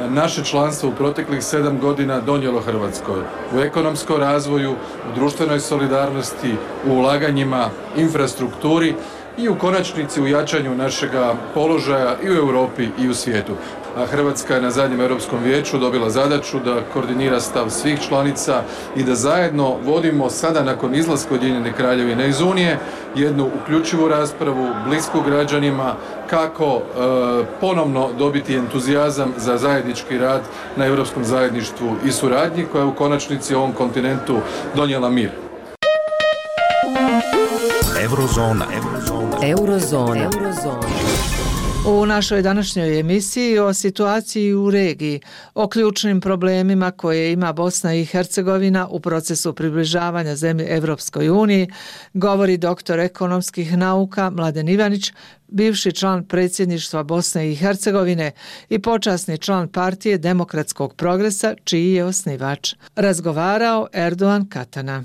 naše članstvo u proteklih sedam godina donijelo Hrvatskoj u ekonomskom razvoju, u društvenoj solidarnosti, u ulaganjima, infrastrukturi i u konačnici u jačanju našega položaja i u Europi i u svijetu. A Hrvatska je na zadnjem Europskom vijeću dobila zadaću da koordinira stav svih članica i da zajedno vodimo sada nakon izlaska Ujedinjene Kraljevine iz Unije jednu uključivu raspravu, blisku građanima, kako e, ponovno dobiti entuzijazam za zajednički rad na europskom zajedništvu i suradnji koja je u konačnici ovom kontinentu donijela mir. Eurozona. Eurozona. Eurozona. Eurozona. U našoj današnjoj emisiji o situaciji u regiji, o ključnim problemima koje ima Bosna i Hercegovina u procesu približavanja zemlje Evropskoj uniji, govori doktor ekonomskih nauka Mladen Ivanić, bivši član predsjedništva Bosne i Hercegovine i počasni član partije Demokratskog progresa, čiji je osnivač. Razgovarao Erdogan Katana.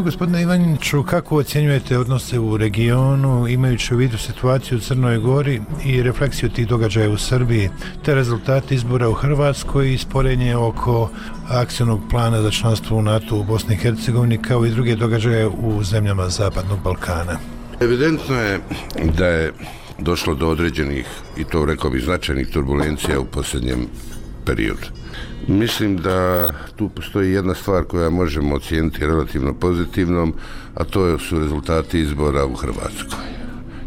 Gospodine Ivaniću, kako ocjenjujete odnose u regionu, imajući u vidu situaciju u Crnoj Gori i refleksiju tih događaja u Srbiji, te rezultate izbora u Hrvatskoj i sporenje oko akcionog plana za članstvo u NATO u Bosni i Hercegovini, kao i druge događaje u zemljama Zapadnog Balkana? Evidentno je da je došlo do određenih, i to rekao bih značajnih turbulencija u posljednjem periodu. Mislim da tu postoji jedna stvar koja možemo ocijeniti relativno pozitivnom, a to su rezultati izbora u Hrvatskoj.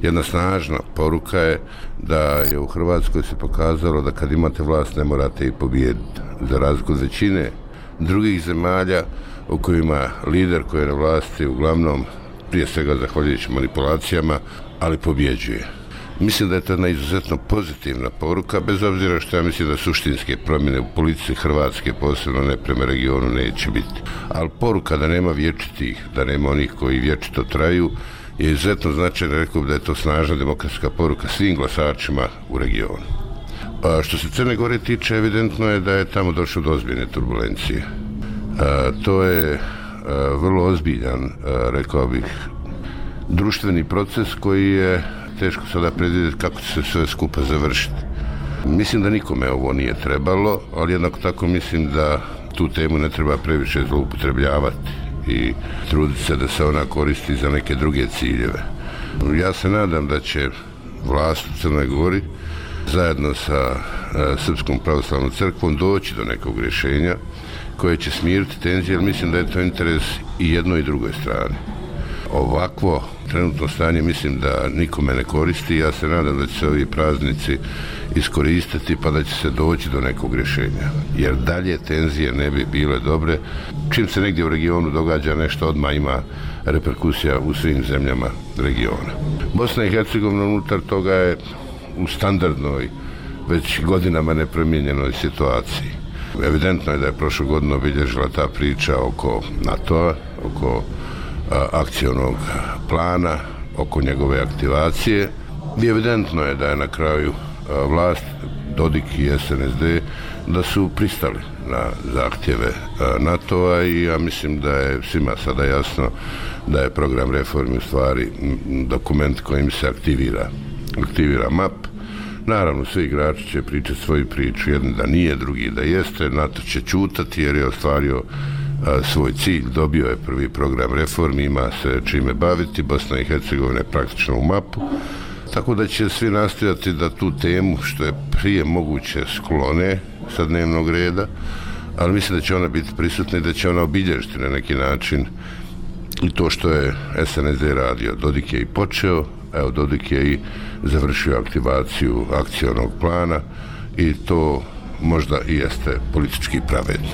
Jedna snažna poruka je da je u Hrvatskoj se pokazalo da kad imate vlast ne morate i pobijediti. Za razliku od većine drugih zemalja u kojima lider koji je na vlasti uglavnom, prije svega zahvaljujući manipulacijama, ali pobjeđuje. Mislim da je to jedna izuzetno pozitivna poruka, bez obzira što ja mislim da suštinske promjene u politici Hrvatske, posebno ne prema regionu, neće biti. Ali poruka da nema vječitih, da nema onih koji vječito traju, je izuzetno značajno, rekao da je to snažna demokratska poruka svim glasačima u regionu. A što se Crne Gore tiče, evidentno je da je tamo došlo do ozbiljne turbulencije. A, to je a, vrlo ozbiljan, a, rekao bih, društveni proces koji je teško sada predvidjeti kako će se sve skupa završiti. Mislim da nikome ovo nije trebalo, ali jednako tako mislim da tu temu ne treba previše zloupotrebljavati i truditi se da se ona koristi za neke druge ciljeve. Ja se nadam da će vlast u Crnoj Gori zajedno sa e, Srpskom pravoslavnom crkvom doći do nekog rješenja koje će smiriti tenzije, jer mislim da je to interes i jednoj i drugoj strani. Ovakvo trenutno stanje mislim da nikome ne koristi. Ja se nadam da će se ovi praznici iskoristiti pa da će se doći do nekog rješenja. Jer dalje tenzije ne bi bile dobre. Čim se negdje u regionu događa nešto, odmah ima reperkusija u svim zemljama regiona. Bosna i Hercegovina unutar toga je u standardnoj, već godinama nepromijenjenoj situaciji. Evidentno je da je prošlu godinu obilježila ta priča oko NATO-a, oko akcionog plana, oko njegove aktivacije. I evidentno je da je na kraju vlast, Dodik i S N S D, da su pristali na zahtjeve NATO-a i ja mislim da je svima sada jasno da je program reformi u stvari dokument kojim se aktivira, aktivira M A P. Naravno, svi igrači će pričati svoju priču, jedan da nije, drugi da jeste, NATO će ćutati jer je ostvario a, svoj cilj, dobio je prvi program reformi, ima se čime baviti, Bosna i Hercegovina je praktično u mapu, tako da će svi nastojati da tu temu što je prije moguće sklone sa dnevnog reda, ali mislim da će ona biti prisutna i da će ona obilježiti na neki način i to što je S N S D radio. Dodik je i počeo, evo Dodik je i završio aktivaciju akcionog plana i to možda i jeste politički pravedno.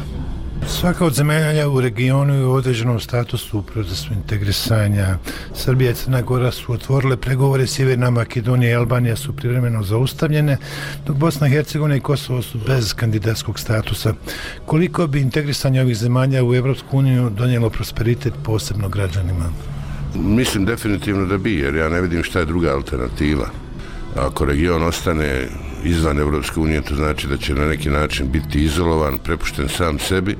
Svaka od zemalja u regionu je u određenom statusu u procesu integrisanja. Srbija i Crna Gora su otvorile pregovore, Sjeverna Makedonija i Albanija su privremeno zaustavljene, dok Bosna i Hercegovina i Kosovo su bez kandidatskog statusa. Koliko bi integrisanje ovih zemalja u Evropsku uniju donijelo prosperitet posebno građanima? Mislim definitivno da bi, jer ja ne vidim šta je druga alternativa. Ako region ostane izvan Evropske unije, to znači da će na neki način biti izolovan, prepušten sam sebi.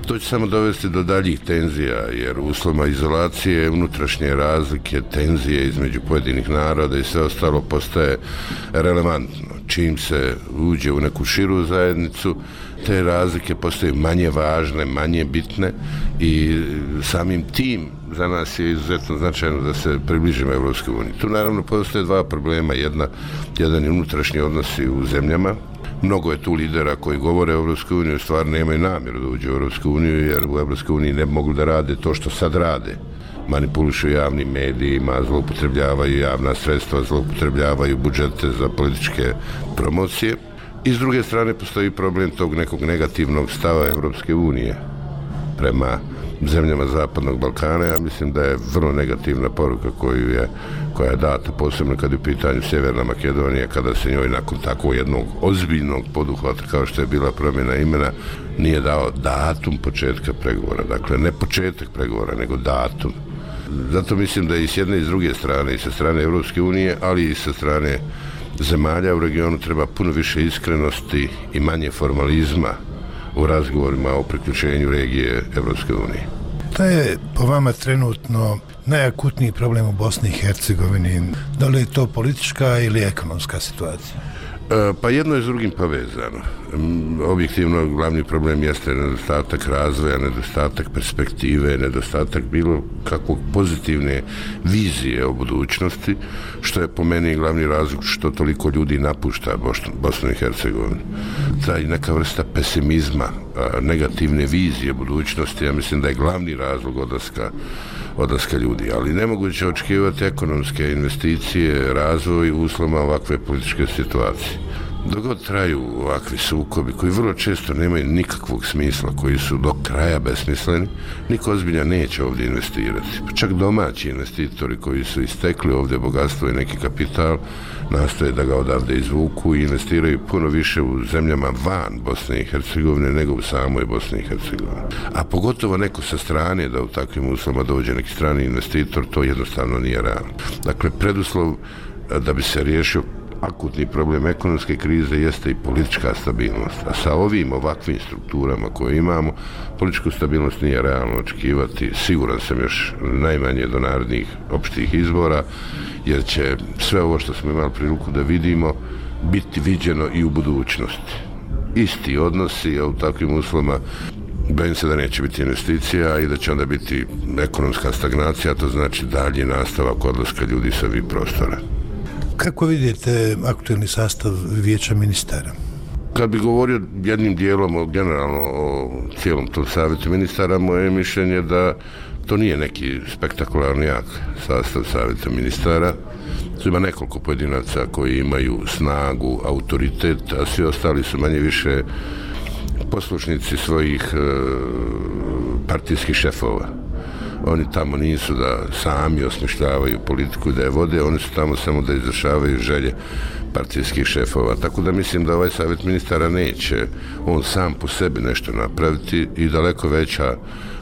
To će samo dovesti do daljih tenzija, jer u uslovima izolacije, unutrašnje razlike, tenzije između pojedinih naroda i sve ostalo postaje relevantno. Čim se uđe u neku širu zajednicu, te razlike postaju manje važne, manje bitne i samim tim za nas je izuzetno značajno da se približimo Evropskoj uniji. Tu naravno postoje dva problema. Jedna, jedan je unutrašnji odnosi u zemljama. Mnogo je tu lidera koji govore o Evropskoj uniji, u stvari nemaju namjeru da uđe u Evropsku uniju, jer u Evropskoj uniji ne bi mogli da rade to što sad rade. Manipulišu javnim medijima, zloupotrebljavaju javna sredstva, zloupotrebljavaju budžete za političke promocije. I s druge strane postoji problem tog nekog negativnog stava Evropske unije prema zemljama Zapadnog Balkana. Ja mislim da je vrlo negativna poruka koju je, koja je data, posebno kad je u pitanju Sjeverna Makedonija, kada se njoj nakon tako jednog ozbiljnog poduhvata kao što je bila promjena imena nije dao datum početka pregovora. Dakle, ne početak pregovora, nego datum. Zato mislim da i s jedne i s druge strane, i sa strane Evropske unije, ali i sa strane zemalja u regionu treba puno više iskrenosti i manje formalizma u razgovorima o priključenju regije Evropske unije. Šta je po vama trenutno najakutniji problem u Bosni i Hercegovini? Da li je to politička ili ekonomska situacija? Pa jedno je s drugim povezano. Objektivno glavni problem jeste nedostatak razvoja, nedostatak perspektive, nedostatak bilo kakvog pozitivne vizije o budućnosti, što je po meni glavni razlog što toliko ljudi napušta Bosnu i Hercegovinu. Taj neka vrsta pesimizma, negativne vizije budućnosti, ja mislim da je glavni razlog odlaska odlaska ljudi, ali nemoguće očekivati ekonomske investicije, razvoj u uslovima ovakve političke situacije. Dok god traju ovakvi sukobi koji vrlo često nemaju nikakvog smisla, koji su do kraja besmisleni, niko ozbiljno neće ovdje investirati. Pa čak domaći investitori koji su istekli ovdje bogatstvo i neki kapital nastoje da ga odavde izvuku i investiraju puno više u zemljama van Bosne i Hercegovine nego u samoj Bosni i Hercegovini. A pogotovo neko sa strane da u takvim uslovima dođe neki strani investitor, to jednostavno nije realno. Dakle, preduslov da bi se riješio akutni problem ekonomske krize jeste i politička stabilnost. A sa ovim ovakvim strukturama koje imamo, političku stabilnost nije realno očekivati, siguran sam još najmanje do narednih opštih izbora, jer će sve ovo što smo imali priliku da vidimo biti viđeno i u budućnosti. Isti odnosi, a u takvim uslovima bojim se da neće biti investicija i da će onda biti ekonomska stagnacija, to znači dalji nastavak odlaska ljudi sa ovih prostora. Kako vidite aktualni sastav vijeća ministara? Kad bi govorio jednim dijelom o, generalno o cijelom tom savjetu ministara, moje mišljenje da to nije neki spektakularni jak sastav savjeta ministara. Tu ima nekoliko pojedinaca koji imaju snagu, autoritet, a svi ostali su manje više poslušnici svojih e, partijskih šefova. Oni tamo nisu da sami osmišljavaju politiku i da je vode, oni su tamo samo da izvršavaju želje partijskih šefova. Tako da mislim da ovaj savjet ministara neće on sam po sebi nešto napraviti i daleko veća,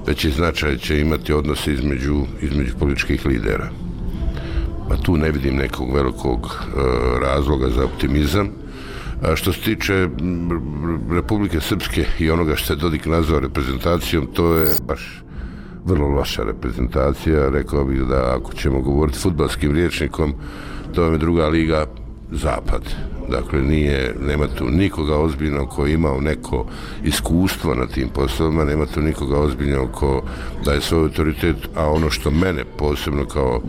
veći značaj će imati odnose između, između političkih lidera. Pa tu ne vidim nekog velikog e, razloga za optimizam. A što se tiče Republike Srpske i onoga što je Dodik nazvao reprezentacijom, to je baš vrlo loša reprezentacija. Rekao bih da ako ćemo govoriti fudbalskim rječnikom, to je druga liga zapad. Dakle, nije, nema tu nikoga ozbiljno ko je imao neko iskustvo na tim poslovima, nema tu nikoga ozbiljno ko daje svoj autoritet, a ono što mene posebno kao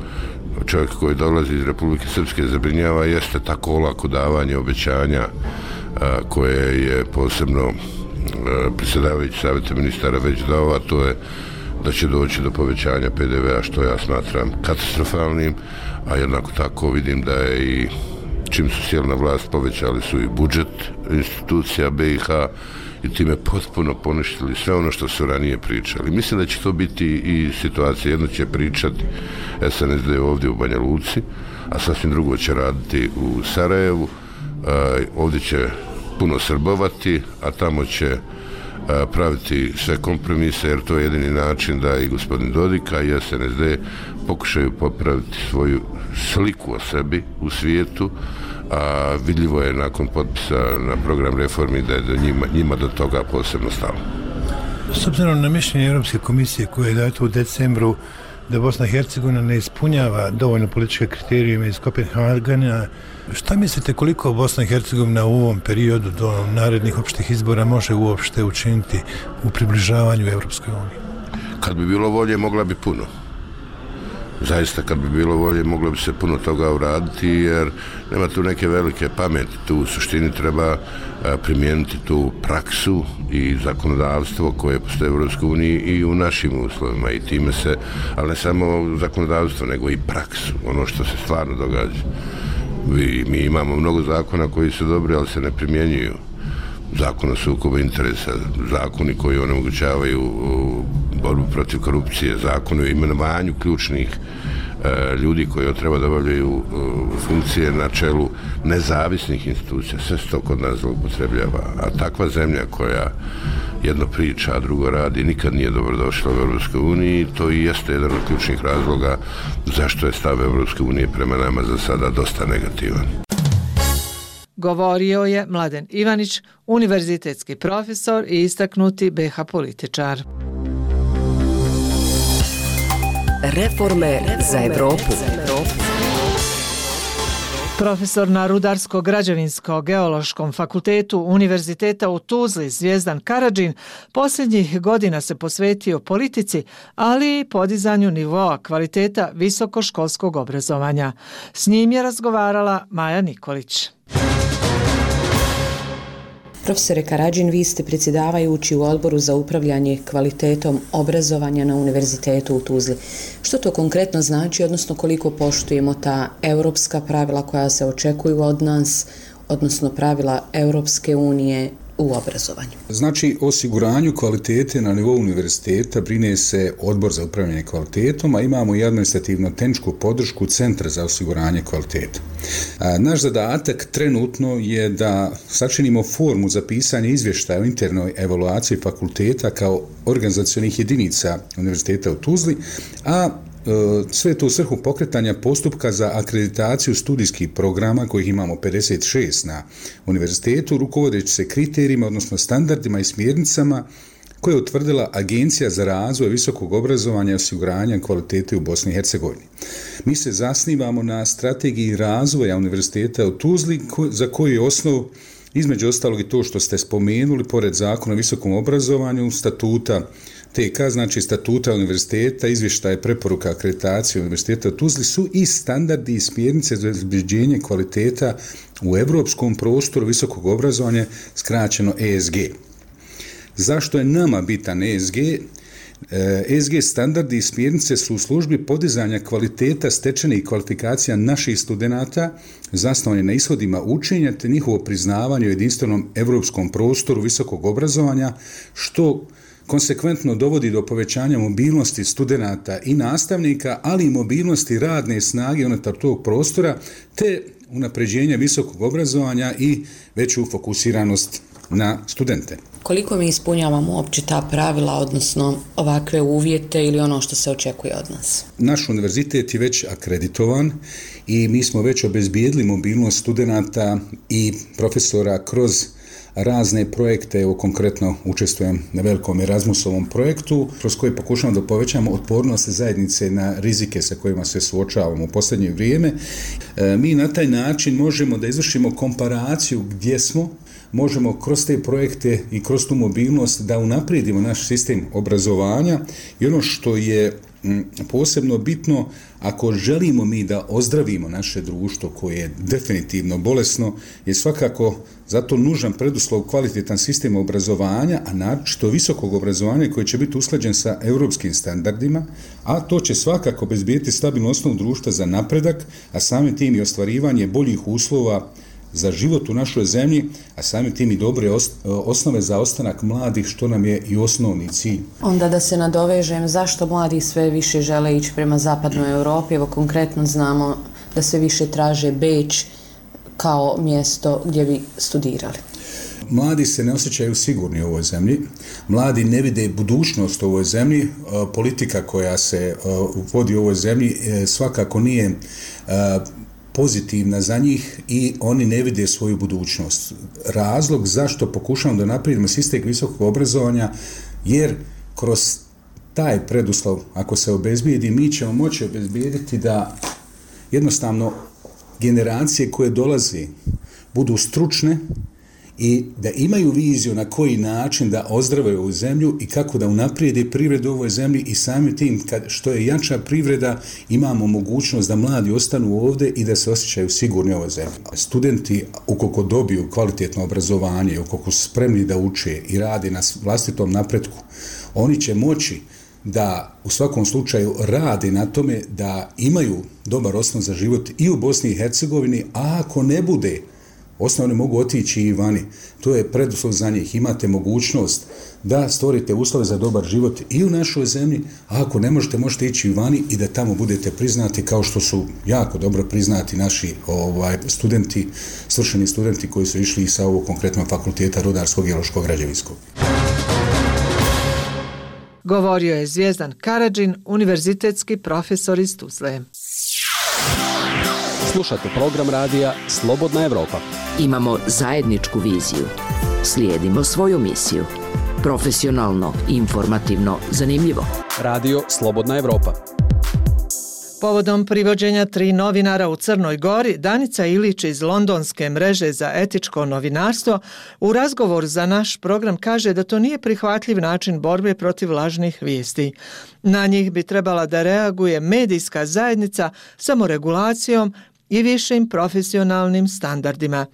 čovjek koji dolazi iz Republike Srpske zabrinjava jeste tako olako davanje obećanja a, koje je posebno a, predsjedavajući savjeta ministara već dao, a to je da će doći do povećanja pe de ve a, što ja smatram katastrofalnim, a jednako tako vidim da je i čim su sjeli na vlast povećali su i budžet institucija be i ha i time potpuno poništili sve ono što su ranije pričali. Mislim da će to biti i situacija. Jedno će pričati es en es de ovdje u Banja Luci, a sasvim drugo će raditi u Sarajevu. Ovdje će puno srbovati, a tamo će praviti sve kompromise, jer to je jedini način da i gospodin Dodika i es en es de pokušaju popraviti svoju sliku o sebi u svijetu, a vidljivo je nakon potpisa na program reformi da je do njima, njima do toga posebno stalo. S obzirom na mišljenje Europske komisije koje je dato u decembru da Bosna i Hercegovina ne ispunjava dovoljno političke kriterijume iz Kopenhagena, šta mislite koliko Bosna i Hercegovina u ovom periodu do narednih opštih izbora može uopšte učiniti u približavanju Europskoj uniji? Kad bi bilo volje, mogla bi puno. Zaista, kad bi bilo volje, moglo bi se puno toga uraditi, jer nema tu neke velike pameti. Tu u suštini treba primijeniti tu praksu i zakonodavstvo koje postoje u Europskoj uniji i u našim uslovima. I time se, ali ne samo zakonodavstvo, nego i praksu, ono što se stvarno događa. Mi, mi imamo mnogo zakona koji su dobri, ali se ne primjenjuju. Zakon o sukobu interesa, zakoni koji onemogućavaju borbu protiv korupcije, zakon o imenovanju ključnih e, ljudi koji treba da obavljaju e, funkcije na čelu nezavisnih institucija, sve se to kod nas zloupotrebljava. A takva zemlja koja jedno priča, a drugo radi, nikad nije dobrodošla u Europskoj uniji. To i jeste jedan od ključnih razloga zašto je stav Europske unije prema nama za sada dosta negativan. Govorio je Mladen Ivanić, univerzitetski profesor i istaknuti be ha političar. Reforme za Evropu. Profesor na Rudarsko-građevinsko-geološkom fakultetu Univerziteta u Tuzli Zvijezdan Karadžin posljednjih godina se posvetio politici, ali i podizanju nivoa kvaliteta visokoškolskog obrazovanja. S njim je razgovarala Maja Nikolić. Profesore Karadžin, vi ste predsjedavajući u odboru za upravljanje kvalitetom obrazovanja na Univerzitetu u Tuzli. Što to konkretno znači, odnosno koliko poštujemo ta europska pravila koja se očekuju od nas, odnosno pravila Europske unije u obrazovanju? Znači, o osiguranju kvalitete na nivou univerziteta brine se Odbor za upravljanje kvalitetom, a imamo i administrativno-tehničku podršku Centra za osiguranje kvaliteta. A, naš zadatak trenutno je da sačinimo formu za pisanje izvještaja o internoj evaluaciji fakulteta kao organizacionih jedinica Univerziteta u Tuzli, a sve to u svrhu pokretanja postupka za akreditaciju studijskih programa, kojih imamo pedeset šest na univerzitetu, rukovodeći se kriterijima, odnosno standardima i smjernicama koje je utvrdila Agencija za razvoj visokog obrazovanja i osiguranja kvalitete u Bosni i Hercegovini. Mi se zasnivamo na strategiji razvoja Univerziteta u Tuzli, za koju je osnov između ostalog i to što ste spomenuli, pored Zakona o visokom obrazovanju, statuta T K, znači statuta univerziteta, izvještaje preporuka akreditacije Univerziteta u Tuzli su i standardi i smjernice za obezbeđenje kvaliteta u evropskom prostoru visokog obrazovanja, skraćeno E S G. Zašto je nama bitan E S G? E S G standardi i smjernice su u službi podizanja kvaliteta stečenih kvalifikacija naših studenata, zasnovane na ishodima učenja te njihovo priznavanje u jedinstvenom evropskom prostoru visokog obrazovanja, što konsekventno dovodi do povećanja mobilnosti studenata i nastavnika, ali i mobilnosti radne snage unutar tog prostora, te unapređenja visokog obrazovanja i veću fokusiranost na studente. Koliko mi ispunjavamo uopće ta pravila, odnosno ovakve uvjete ili ono što se očekuje od nas? Naš univerzitet je već akreditovan i mi smo već obezbijedili mobilnost studenata i profesora kroz razne projekte. Evo konkretno učestvujem na velikom Erasmusovom projektu kroz koji pokušamo da povećamo otpornost zajednice na rizike sa kojima se suočavamo u posljednje vrijeme. E, mi na taj način možemo da izvršimo komparaciju gdje smo, možemo kroz te projekte i kroz tu mobilnost da unaprijedimo naš sistem obrazovanja i ono što je posebno bitno, ako želimo mi da ozdravimo naše društvo koje je definitivno bolesno, je svakako zato nužan preduslov kvalitetan sistem obrazovanja, a naročito visokog obrazovanja koje će biti usklađen sa europskim standardima, a to će svakako obezbijeti stabilnu osnovu društva za napredak, a samim tim i ostvarivanje boljih uslova za život u našoj zemlji, a samim tim i dobre osnove za ostanak mladih, što nam je i osnovni cilj. Onda da se nadovežem, zašto mladi sve više žele ići prema zapadnoj Europi? Evo konkretno znamo da sve više traže Beč kao mjesto gdje bi studirali. Mladi se ne osjećaju sigurni u ovoj zemlji, mladi ne vide budućnost u ovoj zemlji, politika koja se vodi u ovoj zemlji svakako nije pozitivna za njih i oni ne vide svoju budućnost. Razlog zašto pokušamo da naprijedimo sistem visokog obrazovanja, jer kroz taj preduslov, ako se obezbijedi, mi ćemo moći obezbijediti da jednostavno generacije koje dolaze budu stručne i da imaju viziju na koji način da ozdrave ovu zemlju i kako da unaprijede privredu u ovoj zemlji i samim tim, kad, što je jača privreda, imamo mogućnost da mladi ostanu ovdje i da se osjećaju sigurni u ovoj zemlji. Studenti, ukoliko dobiju kvalitetno obrazovanje, ukoliko su spremni da uče i rade na vlastitom napretku, oni će moći da u svakom slučaju rade na tome da imaju dobar osnov za život i u Bosni i Hercegovini, a ako ne bude, osnovno mogu otići i vani. To je preduslov za njih. Imate mogućnost da stvorite uslove za dobar život i u našoj zemlji, a ako ne možete, možete ići i vani i da tamo budete priznati kao što su jako dobro priznati naši ovaj, studenti, svršeni studenti koji su išli sa ovog konkretnog fakulteta Rudarskog i geološko-građevinskog. Govorio je Zvijezdan Karadžin, univerzitetski profesor iz Tuzle. Slušate program radija Slobodna Evropa. Imamo zajedničku viziju. Slijedimo svoju misiju. Profesionalno, informativno, zanimljivo. Radio Slobodna Evropa. Povodom privođenja tri novinara u Crnoj Gori, Danica Ilić iz Londonske mreže za etičko novinarstvo u razgovoru za naš program kaže da to nije prihvatljiv način borbe protiv lažnih vijesti. Na njih bi trebala da reaguje medijska zajednica samoregulacijom i višim profesionalnim standardima.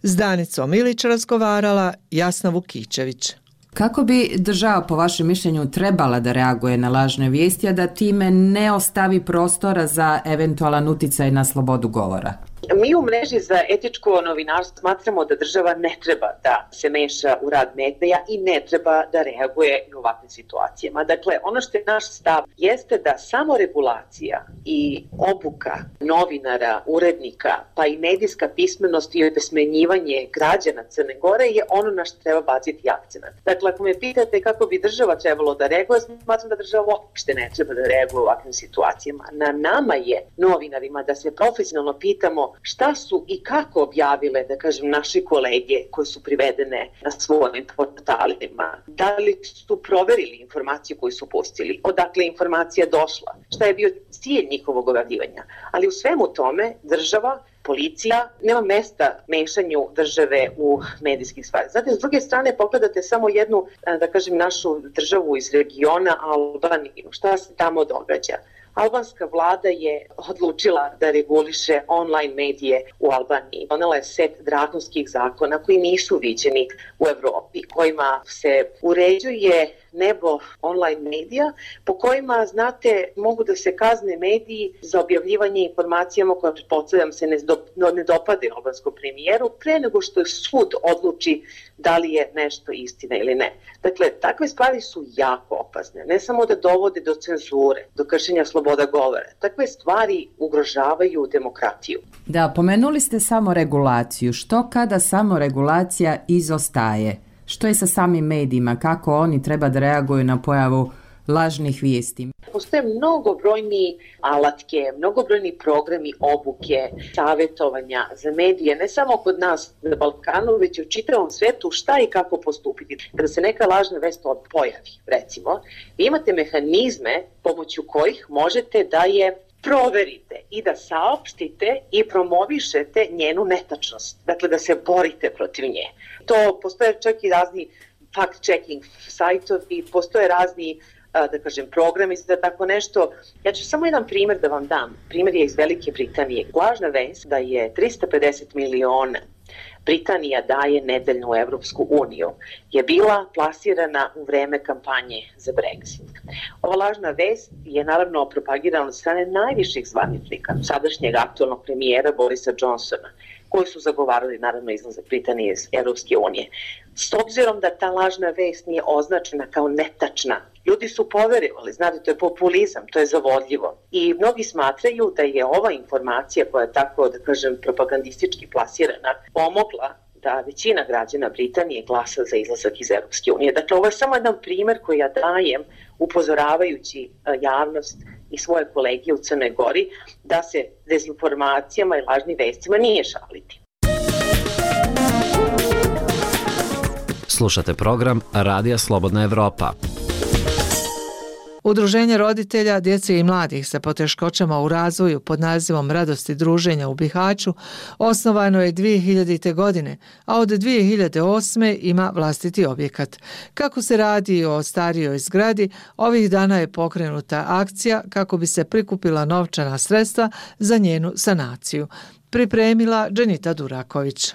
S Danicom Ilić razgovarala Jasna Vukičević. Kako bi država, po vašem mišljenju, trebala da reaguje na lažne vijesti, a da time ne ostavi prostora za eventualan uticaj na slobodu govora? Mi u mreži za etičko novinarstvo smatramo da država ne treba da se meša u rad medija i ne treba da reaguje u ovakvim situacijama. Dakle, ono što je naš stav jeste da samo regulacija i obuka novinara, urednika, pa i medijska pismenost i obesmenjivanje građana Crne Gore je ono na što treba baciti akcenat. Dakle, ako me pitate kako bi država trebalo da reaguje, smatram da država uopšte ne treba da reaguje u ovakvim situacijama. Na nama je, novinarima, da se profesionalno pitamo šta su i kako objavile, da kažem, naši kolege koji su privedene na svojim portalima. Da li su proverili informaciju koju su pustili, odakle je informacija došla, šta je bio cilj njihovog objavljivanja. Ali u svemu tome država, policija, nema mesta mešanju države u medijskih stvari. Znate, s druge strane, pogledate samo jednu, da kažem, našu državu iz regiona, Albaniju. Šta se tamo događa? Albanska vlada je odlučila da reguliše online medije u Albaniji. Donela je set drakonskih zakona koji nisu viđeni u Evropi, kojima se uređuje nebo online medija, po kojima, znate, mogu da se kazne mediji za objavljivanje informacijama koje, pretpostavljam, se ne, do, ne dopade albanskom premijeru pre nego što sud odluči da li je nešto istina ili ne. Dakle, takve stvari su jako opasne. Ne samo da dovode do cenzure, do kršenja sloboda govora. Takve stvari ugrožavaju demokratiju. Da, pomenuli ste samo regulaciju. Što kada samo regulacija izostaje? Što je sa samim medijima? Kako oni treba da reaguju na pojavu lažnih vijesti? Postoje mnogobrojni alatke, mnogobrojni programi obuke, savjetovanja za medije, ne samo kod nas na Balkanu, već i u čitavom svetu šta i kako postupiti. Kada se neka lažna vest pojavi, recimo, vi imate mehanizme pomoću kojih možete da je proverite i da saopštite i promovišete njenu netačnost. Dakle, da se borite protiv nje. To postoje čak i razni fact-checking sajtovi, postoje razni, da kažem, programi za tako nešto. Ja ću samo jedan primjer da vam dam. Primjer je iz Velike Britanije. Lažna vest da je trista pedeset miliona Britanija daje nedeljnu u Evropsku uniju je bila plasirana u vreme kampanje za Brexit. Ova lažna vest je naravno propagirana od strane najviših zvaničnika, sadašnjeg aktualnog premijera Borisa Johnsona, koji su zagovarali naravno izlazak Britanije iz Evropske unije. S obzirom da ta lažna vest nije označena kao netačna, ljudi su poverovali, znate, to je populizam, to je zavodljivo. I mnogi smatraju da je ova informacija koja je tako, da kažem, propagandistički plasirana, pomogla da većina građana Britanije glasa za izlazak iz Evropske unije. Dakle, ovo je samo jedan primjer koji ja dajem upozoravajući javnost i svoje kolege u Crnoj Gori da se dezinformacijama i lažnim vestima nije šaliti. Slušate program Radija Slobodna Evropa. Udruženje roditelja, djece i mladih sa poteškoćama u razvoju pod nazivom Radosti druženja u Bihaću osnovano je dvije hiljadite. godine, a od dvije hiljade osme. ima vlastiti objekat. Kako se radi o starijoj zgradi, ovih dana je pokrenuta akcija kako bi se prikupila novčana sredstva za njenu sanaciju. Pripremila Dženita Duraković.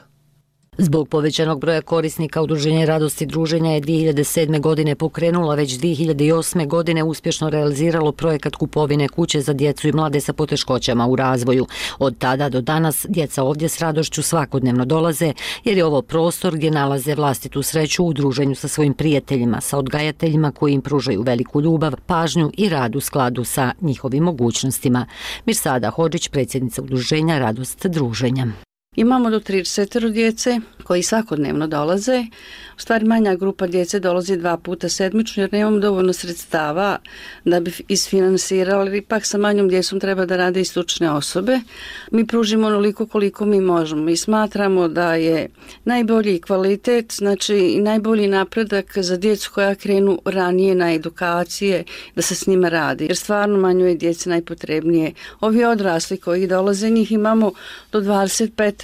Zbog povećanog broja korisnika Udruženje Radosti druženja je dvije hiljade sedme. godine pokrenula, već dvije hiljade osme. godine uspješno realiziralo projekat kupovine kuće za djecu i mlade sa poteškoćama u razvoju. Od tada do danas djeca ovdje s radošću svakodnevno dolaze, jer je ovo prostor gdje nalaze vlastitu sreću u druženju sa svojim prijateljima, sa odgajateljima koji im pružaju veliku ljubav, pažnju i rad u skladu sa njihovim mogućnostima. Mirsada Hodžić, predsjednica Udruženja Radost druženja. Imamo do trideset djece koji svakodnevno dolaze. U stvari manja grupa djece dolazi dva puta sedmično jer nemamo dovoljno sredstava da bi isfinansirali. Ipak sa manjom djecom treba da rade i stručne osobe. Mi pružimo onoliko koliko mi možemo i smatramo da je najbolji kvalitet, znači i najbolji napredak za djecu koja krenu ranije na edukacije, da se s njima radi. Jer stvarno manju je djece najpotrebnije. Ovi odrasli koji dolaze, njih imamo do dvadeset pet,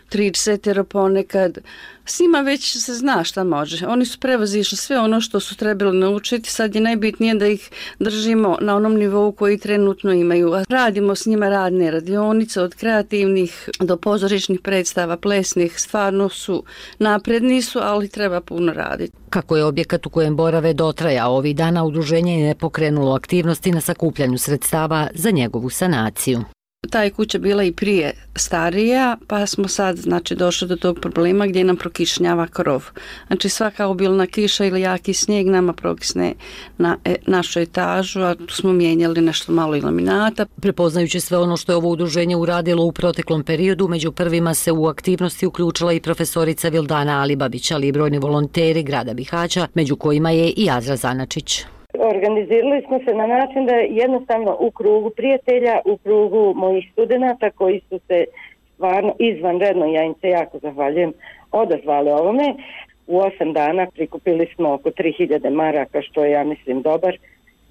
trideset ponekad. S njima već se zna šta može. Oni su prevazišli sve ono što su trebali naučiti. Sad je najbitnije da ih držimo na onom nivou koji trenutno imaju. Radimo s njima radne radionice od kreativnih do pozorišnih predstava, plesnih. Stvarno su napredni su, ali treba puno raditi. Kako je objekat u kojem borave dotrajao, ovih dana udruženje je pokrenulo aktivnosti na sakupljanju sredstava za njegovu sanaciju. Ta je kuća bila i prije starija, pa smo sad znači, došli do tog problema gdje nam prokišnjava krov. Znači svaka obilna kiša ili jaki snijeg nama prokisne na e, našu etažu, a tu smo mijenjali nešto malo i laminata. Prepoznajući sve ono što je ovo udruženje uradilo u proteklom periodu, među prvima se u aktivnosti uključila i profesorica Vildana Alibabić, ali i brojni volonteri grada Bihaća, među kojima je i Azra Zanačić. Organizirali smo se na način da jednostavno u krugu prijatelja, u krugu mojih studenata koji su se stvarno izvanredno, ja im se jako zahvaljujem, odazvali ovome. U osam dana prikupili smo oko tri hiljade maraka, što je, ja mislim, dobar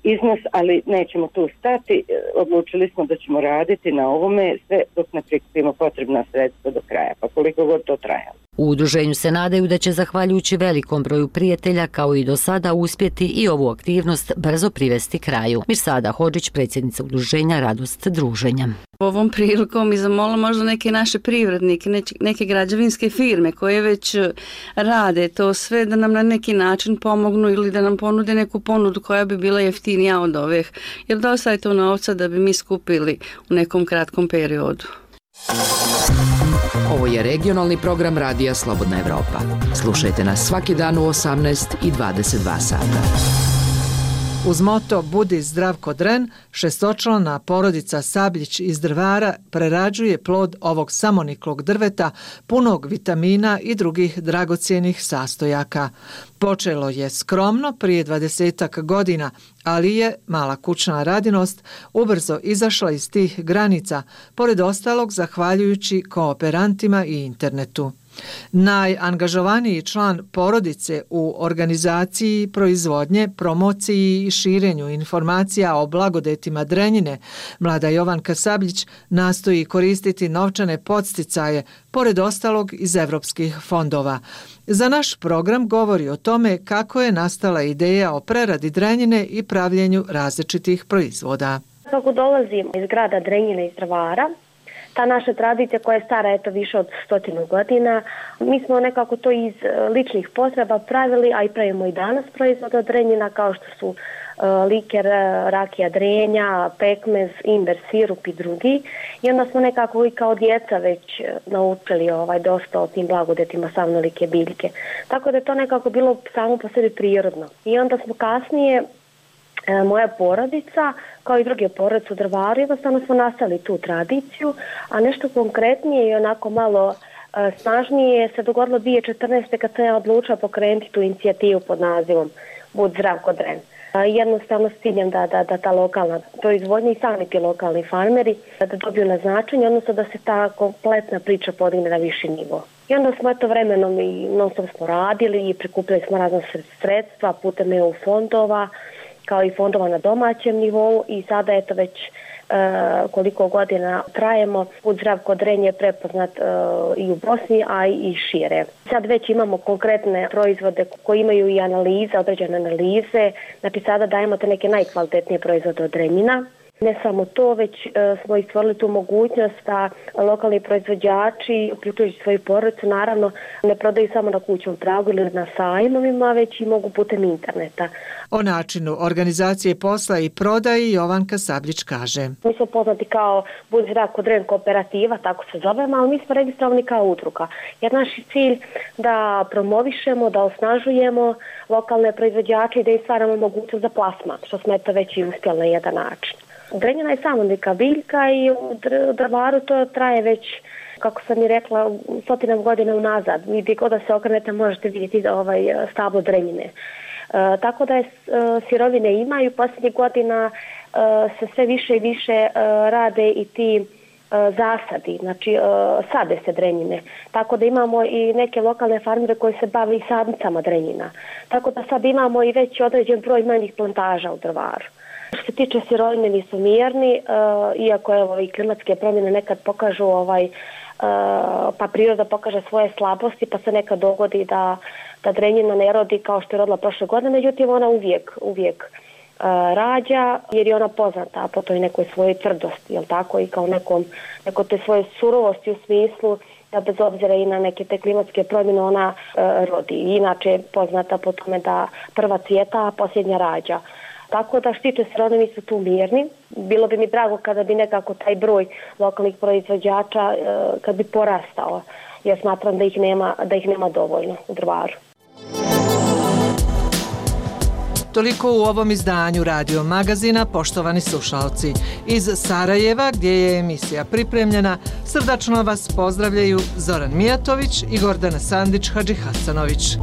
iznos, ali nećemo tu stati. Odlučili smo da ćemo raditi na ovome sve dok ne prikupimo potrebna sredstva do kraja, pa koliko god to trajalo. U udruženju se nadaju da će, zahvaljujući velikom broju prijatelja, kao i do sada, uspjeti i ovu aktivnost brzo privesti kraju. Mirsada Hodžić, predsjednica udruženja Radost druženja. Ovom prilikom i zamola možda neke naše privrednike, neke građevinske firme koje već rade to sve, da nam na neki način pomognu ili da nam ponude neku ponudu koja bi bila jeftinija od ovih. Jer dosta je to novca da bi mi skupili u nekom kratkom periodu. Ovo je regionalni program Radija Slobodna Evropa. Slušajte nas svaki dan u osamnaest i dvadeset dva sata. Uz moto Budi zdrav ko dren, šestočlana porodica Sabljić iz Drvara prerađuje plod ovog samoniklog drveta punog vitamina i drugih dragocjenih sastojaka. Počelo je skromno prije dvadesetak godina, ali je mala kućna radinost ubrzo izašla iz tih granica, pored ostalog zahvaljujući kooperantima i internetu. Najangažovaniji član porodice u organizaciji proizvodnje, promociji i širenju informacija o blagodetima Drenjine, mlada Jovanka Sabljić nastoji koristiti novčane podsticaje, pored ostalog iz evropskih fondova. Za naš program govori o tome kako je nastala ideja o preradi Drenjine i pravljenju različitih proizvoda. Kako dolazim iz grada Drenjine iz Drvara, ta naša tradicija koja je stara eto više od stotinu godina, mi smo nekako to iz ličnih potreba pravili, a i pravimo i danas proizvod od Drenjina kao što su uh, liker, rakija Drenja, pekmez, imber, sirup i drugi. I onda smo nekako i kao djeca već naučili ovaj, dosta o tim blagodetima samnolike biljke. Tako da je to nekako bilo samo po sebi prirodno. I onda smo kasnije moja porodica, kao i druge porodice u Drvaru, jednostavno smo nastavili tu tradiciju, a nešto konkretnije i onako malo e, snažnije se dogodilo dvije tisuće četrnaeste. kad sam ja odlučila pokrenuti tu inicijativu pod nazivom Bud zdrav ko dren. Jednostavno s ciljem da, da, da ta lokalna proizvodnja i sami ti lokalni farmeri da dobiju na značenje, odnosno da se ta kompletna priča podigne na viši nivo. I onda smo eto vremenom i non stop smo radili i prikupili smo razna sredstva putem E U fondova, kao i fondova na domaćem nivou i sada eto već e, koliko godina trajemo, Bud zdrav ko dren je prepoznat e, i u Bosni, a i šire. Sad već imamo konkretne proizvode koji imaju i analize, određene analize, znači sada dajemo te neke najkvalitetnije proizvode od Drenjina. Ne samo to, već e, smo i stvorili tu mogućnost da lokalni proizvođači, uključujući svoju porodicu, naravno ne prodaju samo na kućnom pragu ili na sajmovima, već i mogu putem interneta. O načinu organizacije posla i prodaji Jovanka Sabljić kaže. Mi smo poznati kao Bud zdrav ko dren kooperativa, tako se zovemo, ali mi smo registrovani kao udruga. Jer naš je cilj da promovišemo, da osnažujemo lokalne proizvođače i da im stvaramo mogućnost za plasman, što smo eto već i uspjeli na jedan način. Drenjina je samolika biljka i u Drvaru to traje već kako sam i rekla, stotinama godina unazad. Vi gdje god da se okrenete možete vidjeti ovaj stablo drenjine. E, tako da je, sirovine imaju, posljednjih godina e, se sve više i više e, rade i ti zasadi, znači sade se drenjine. Tako da imamo i neke lokalne farmere koji se bave i sadnicama drenjina. Tako da sad imamo i već određen broj manjih plantaža u Drvaru. Što se tiče sirovine, nisu mirni, iako evo i klimatske promjene nekad pokažu ovaj, pa priroda pokaže svoje slabosti, pa se nekad dogodi da, da drenjina ne rodi kao što je rodila prošle godine, međutim ona uvijek, uvijek rađa, jer je ona poznata po toj nekoj svojoj tvrdosti, jel tako, i kao nekom, neko te svoje surovosti u smislu da bez obzira i na neke te klimatske promjene ona e, rodi. Inače je poznata po tome da prva cvjeta, a posljednja rađa. Tako da štiče se oni nisu tu mirni. Bilo bi mi drago kada bi nekako taj broj lokalnih proizvođača e, kad bi porastao, jer smatram da ih nema, da ih nema dovoljno u Drvaru. Toliko u ovom izdanju Radio Magazina, poštovani slušalci. Iz Sarajeva, gdje je emisija pripremljena, srdačno vas pozdravljaju Zoran Mijatović i Gordana Sandić Hadžihasanović.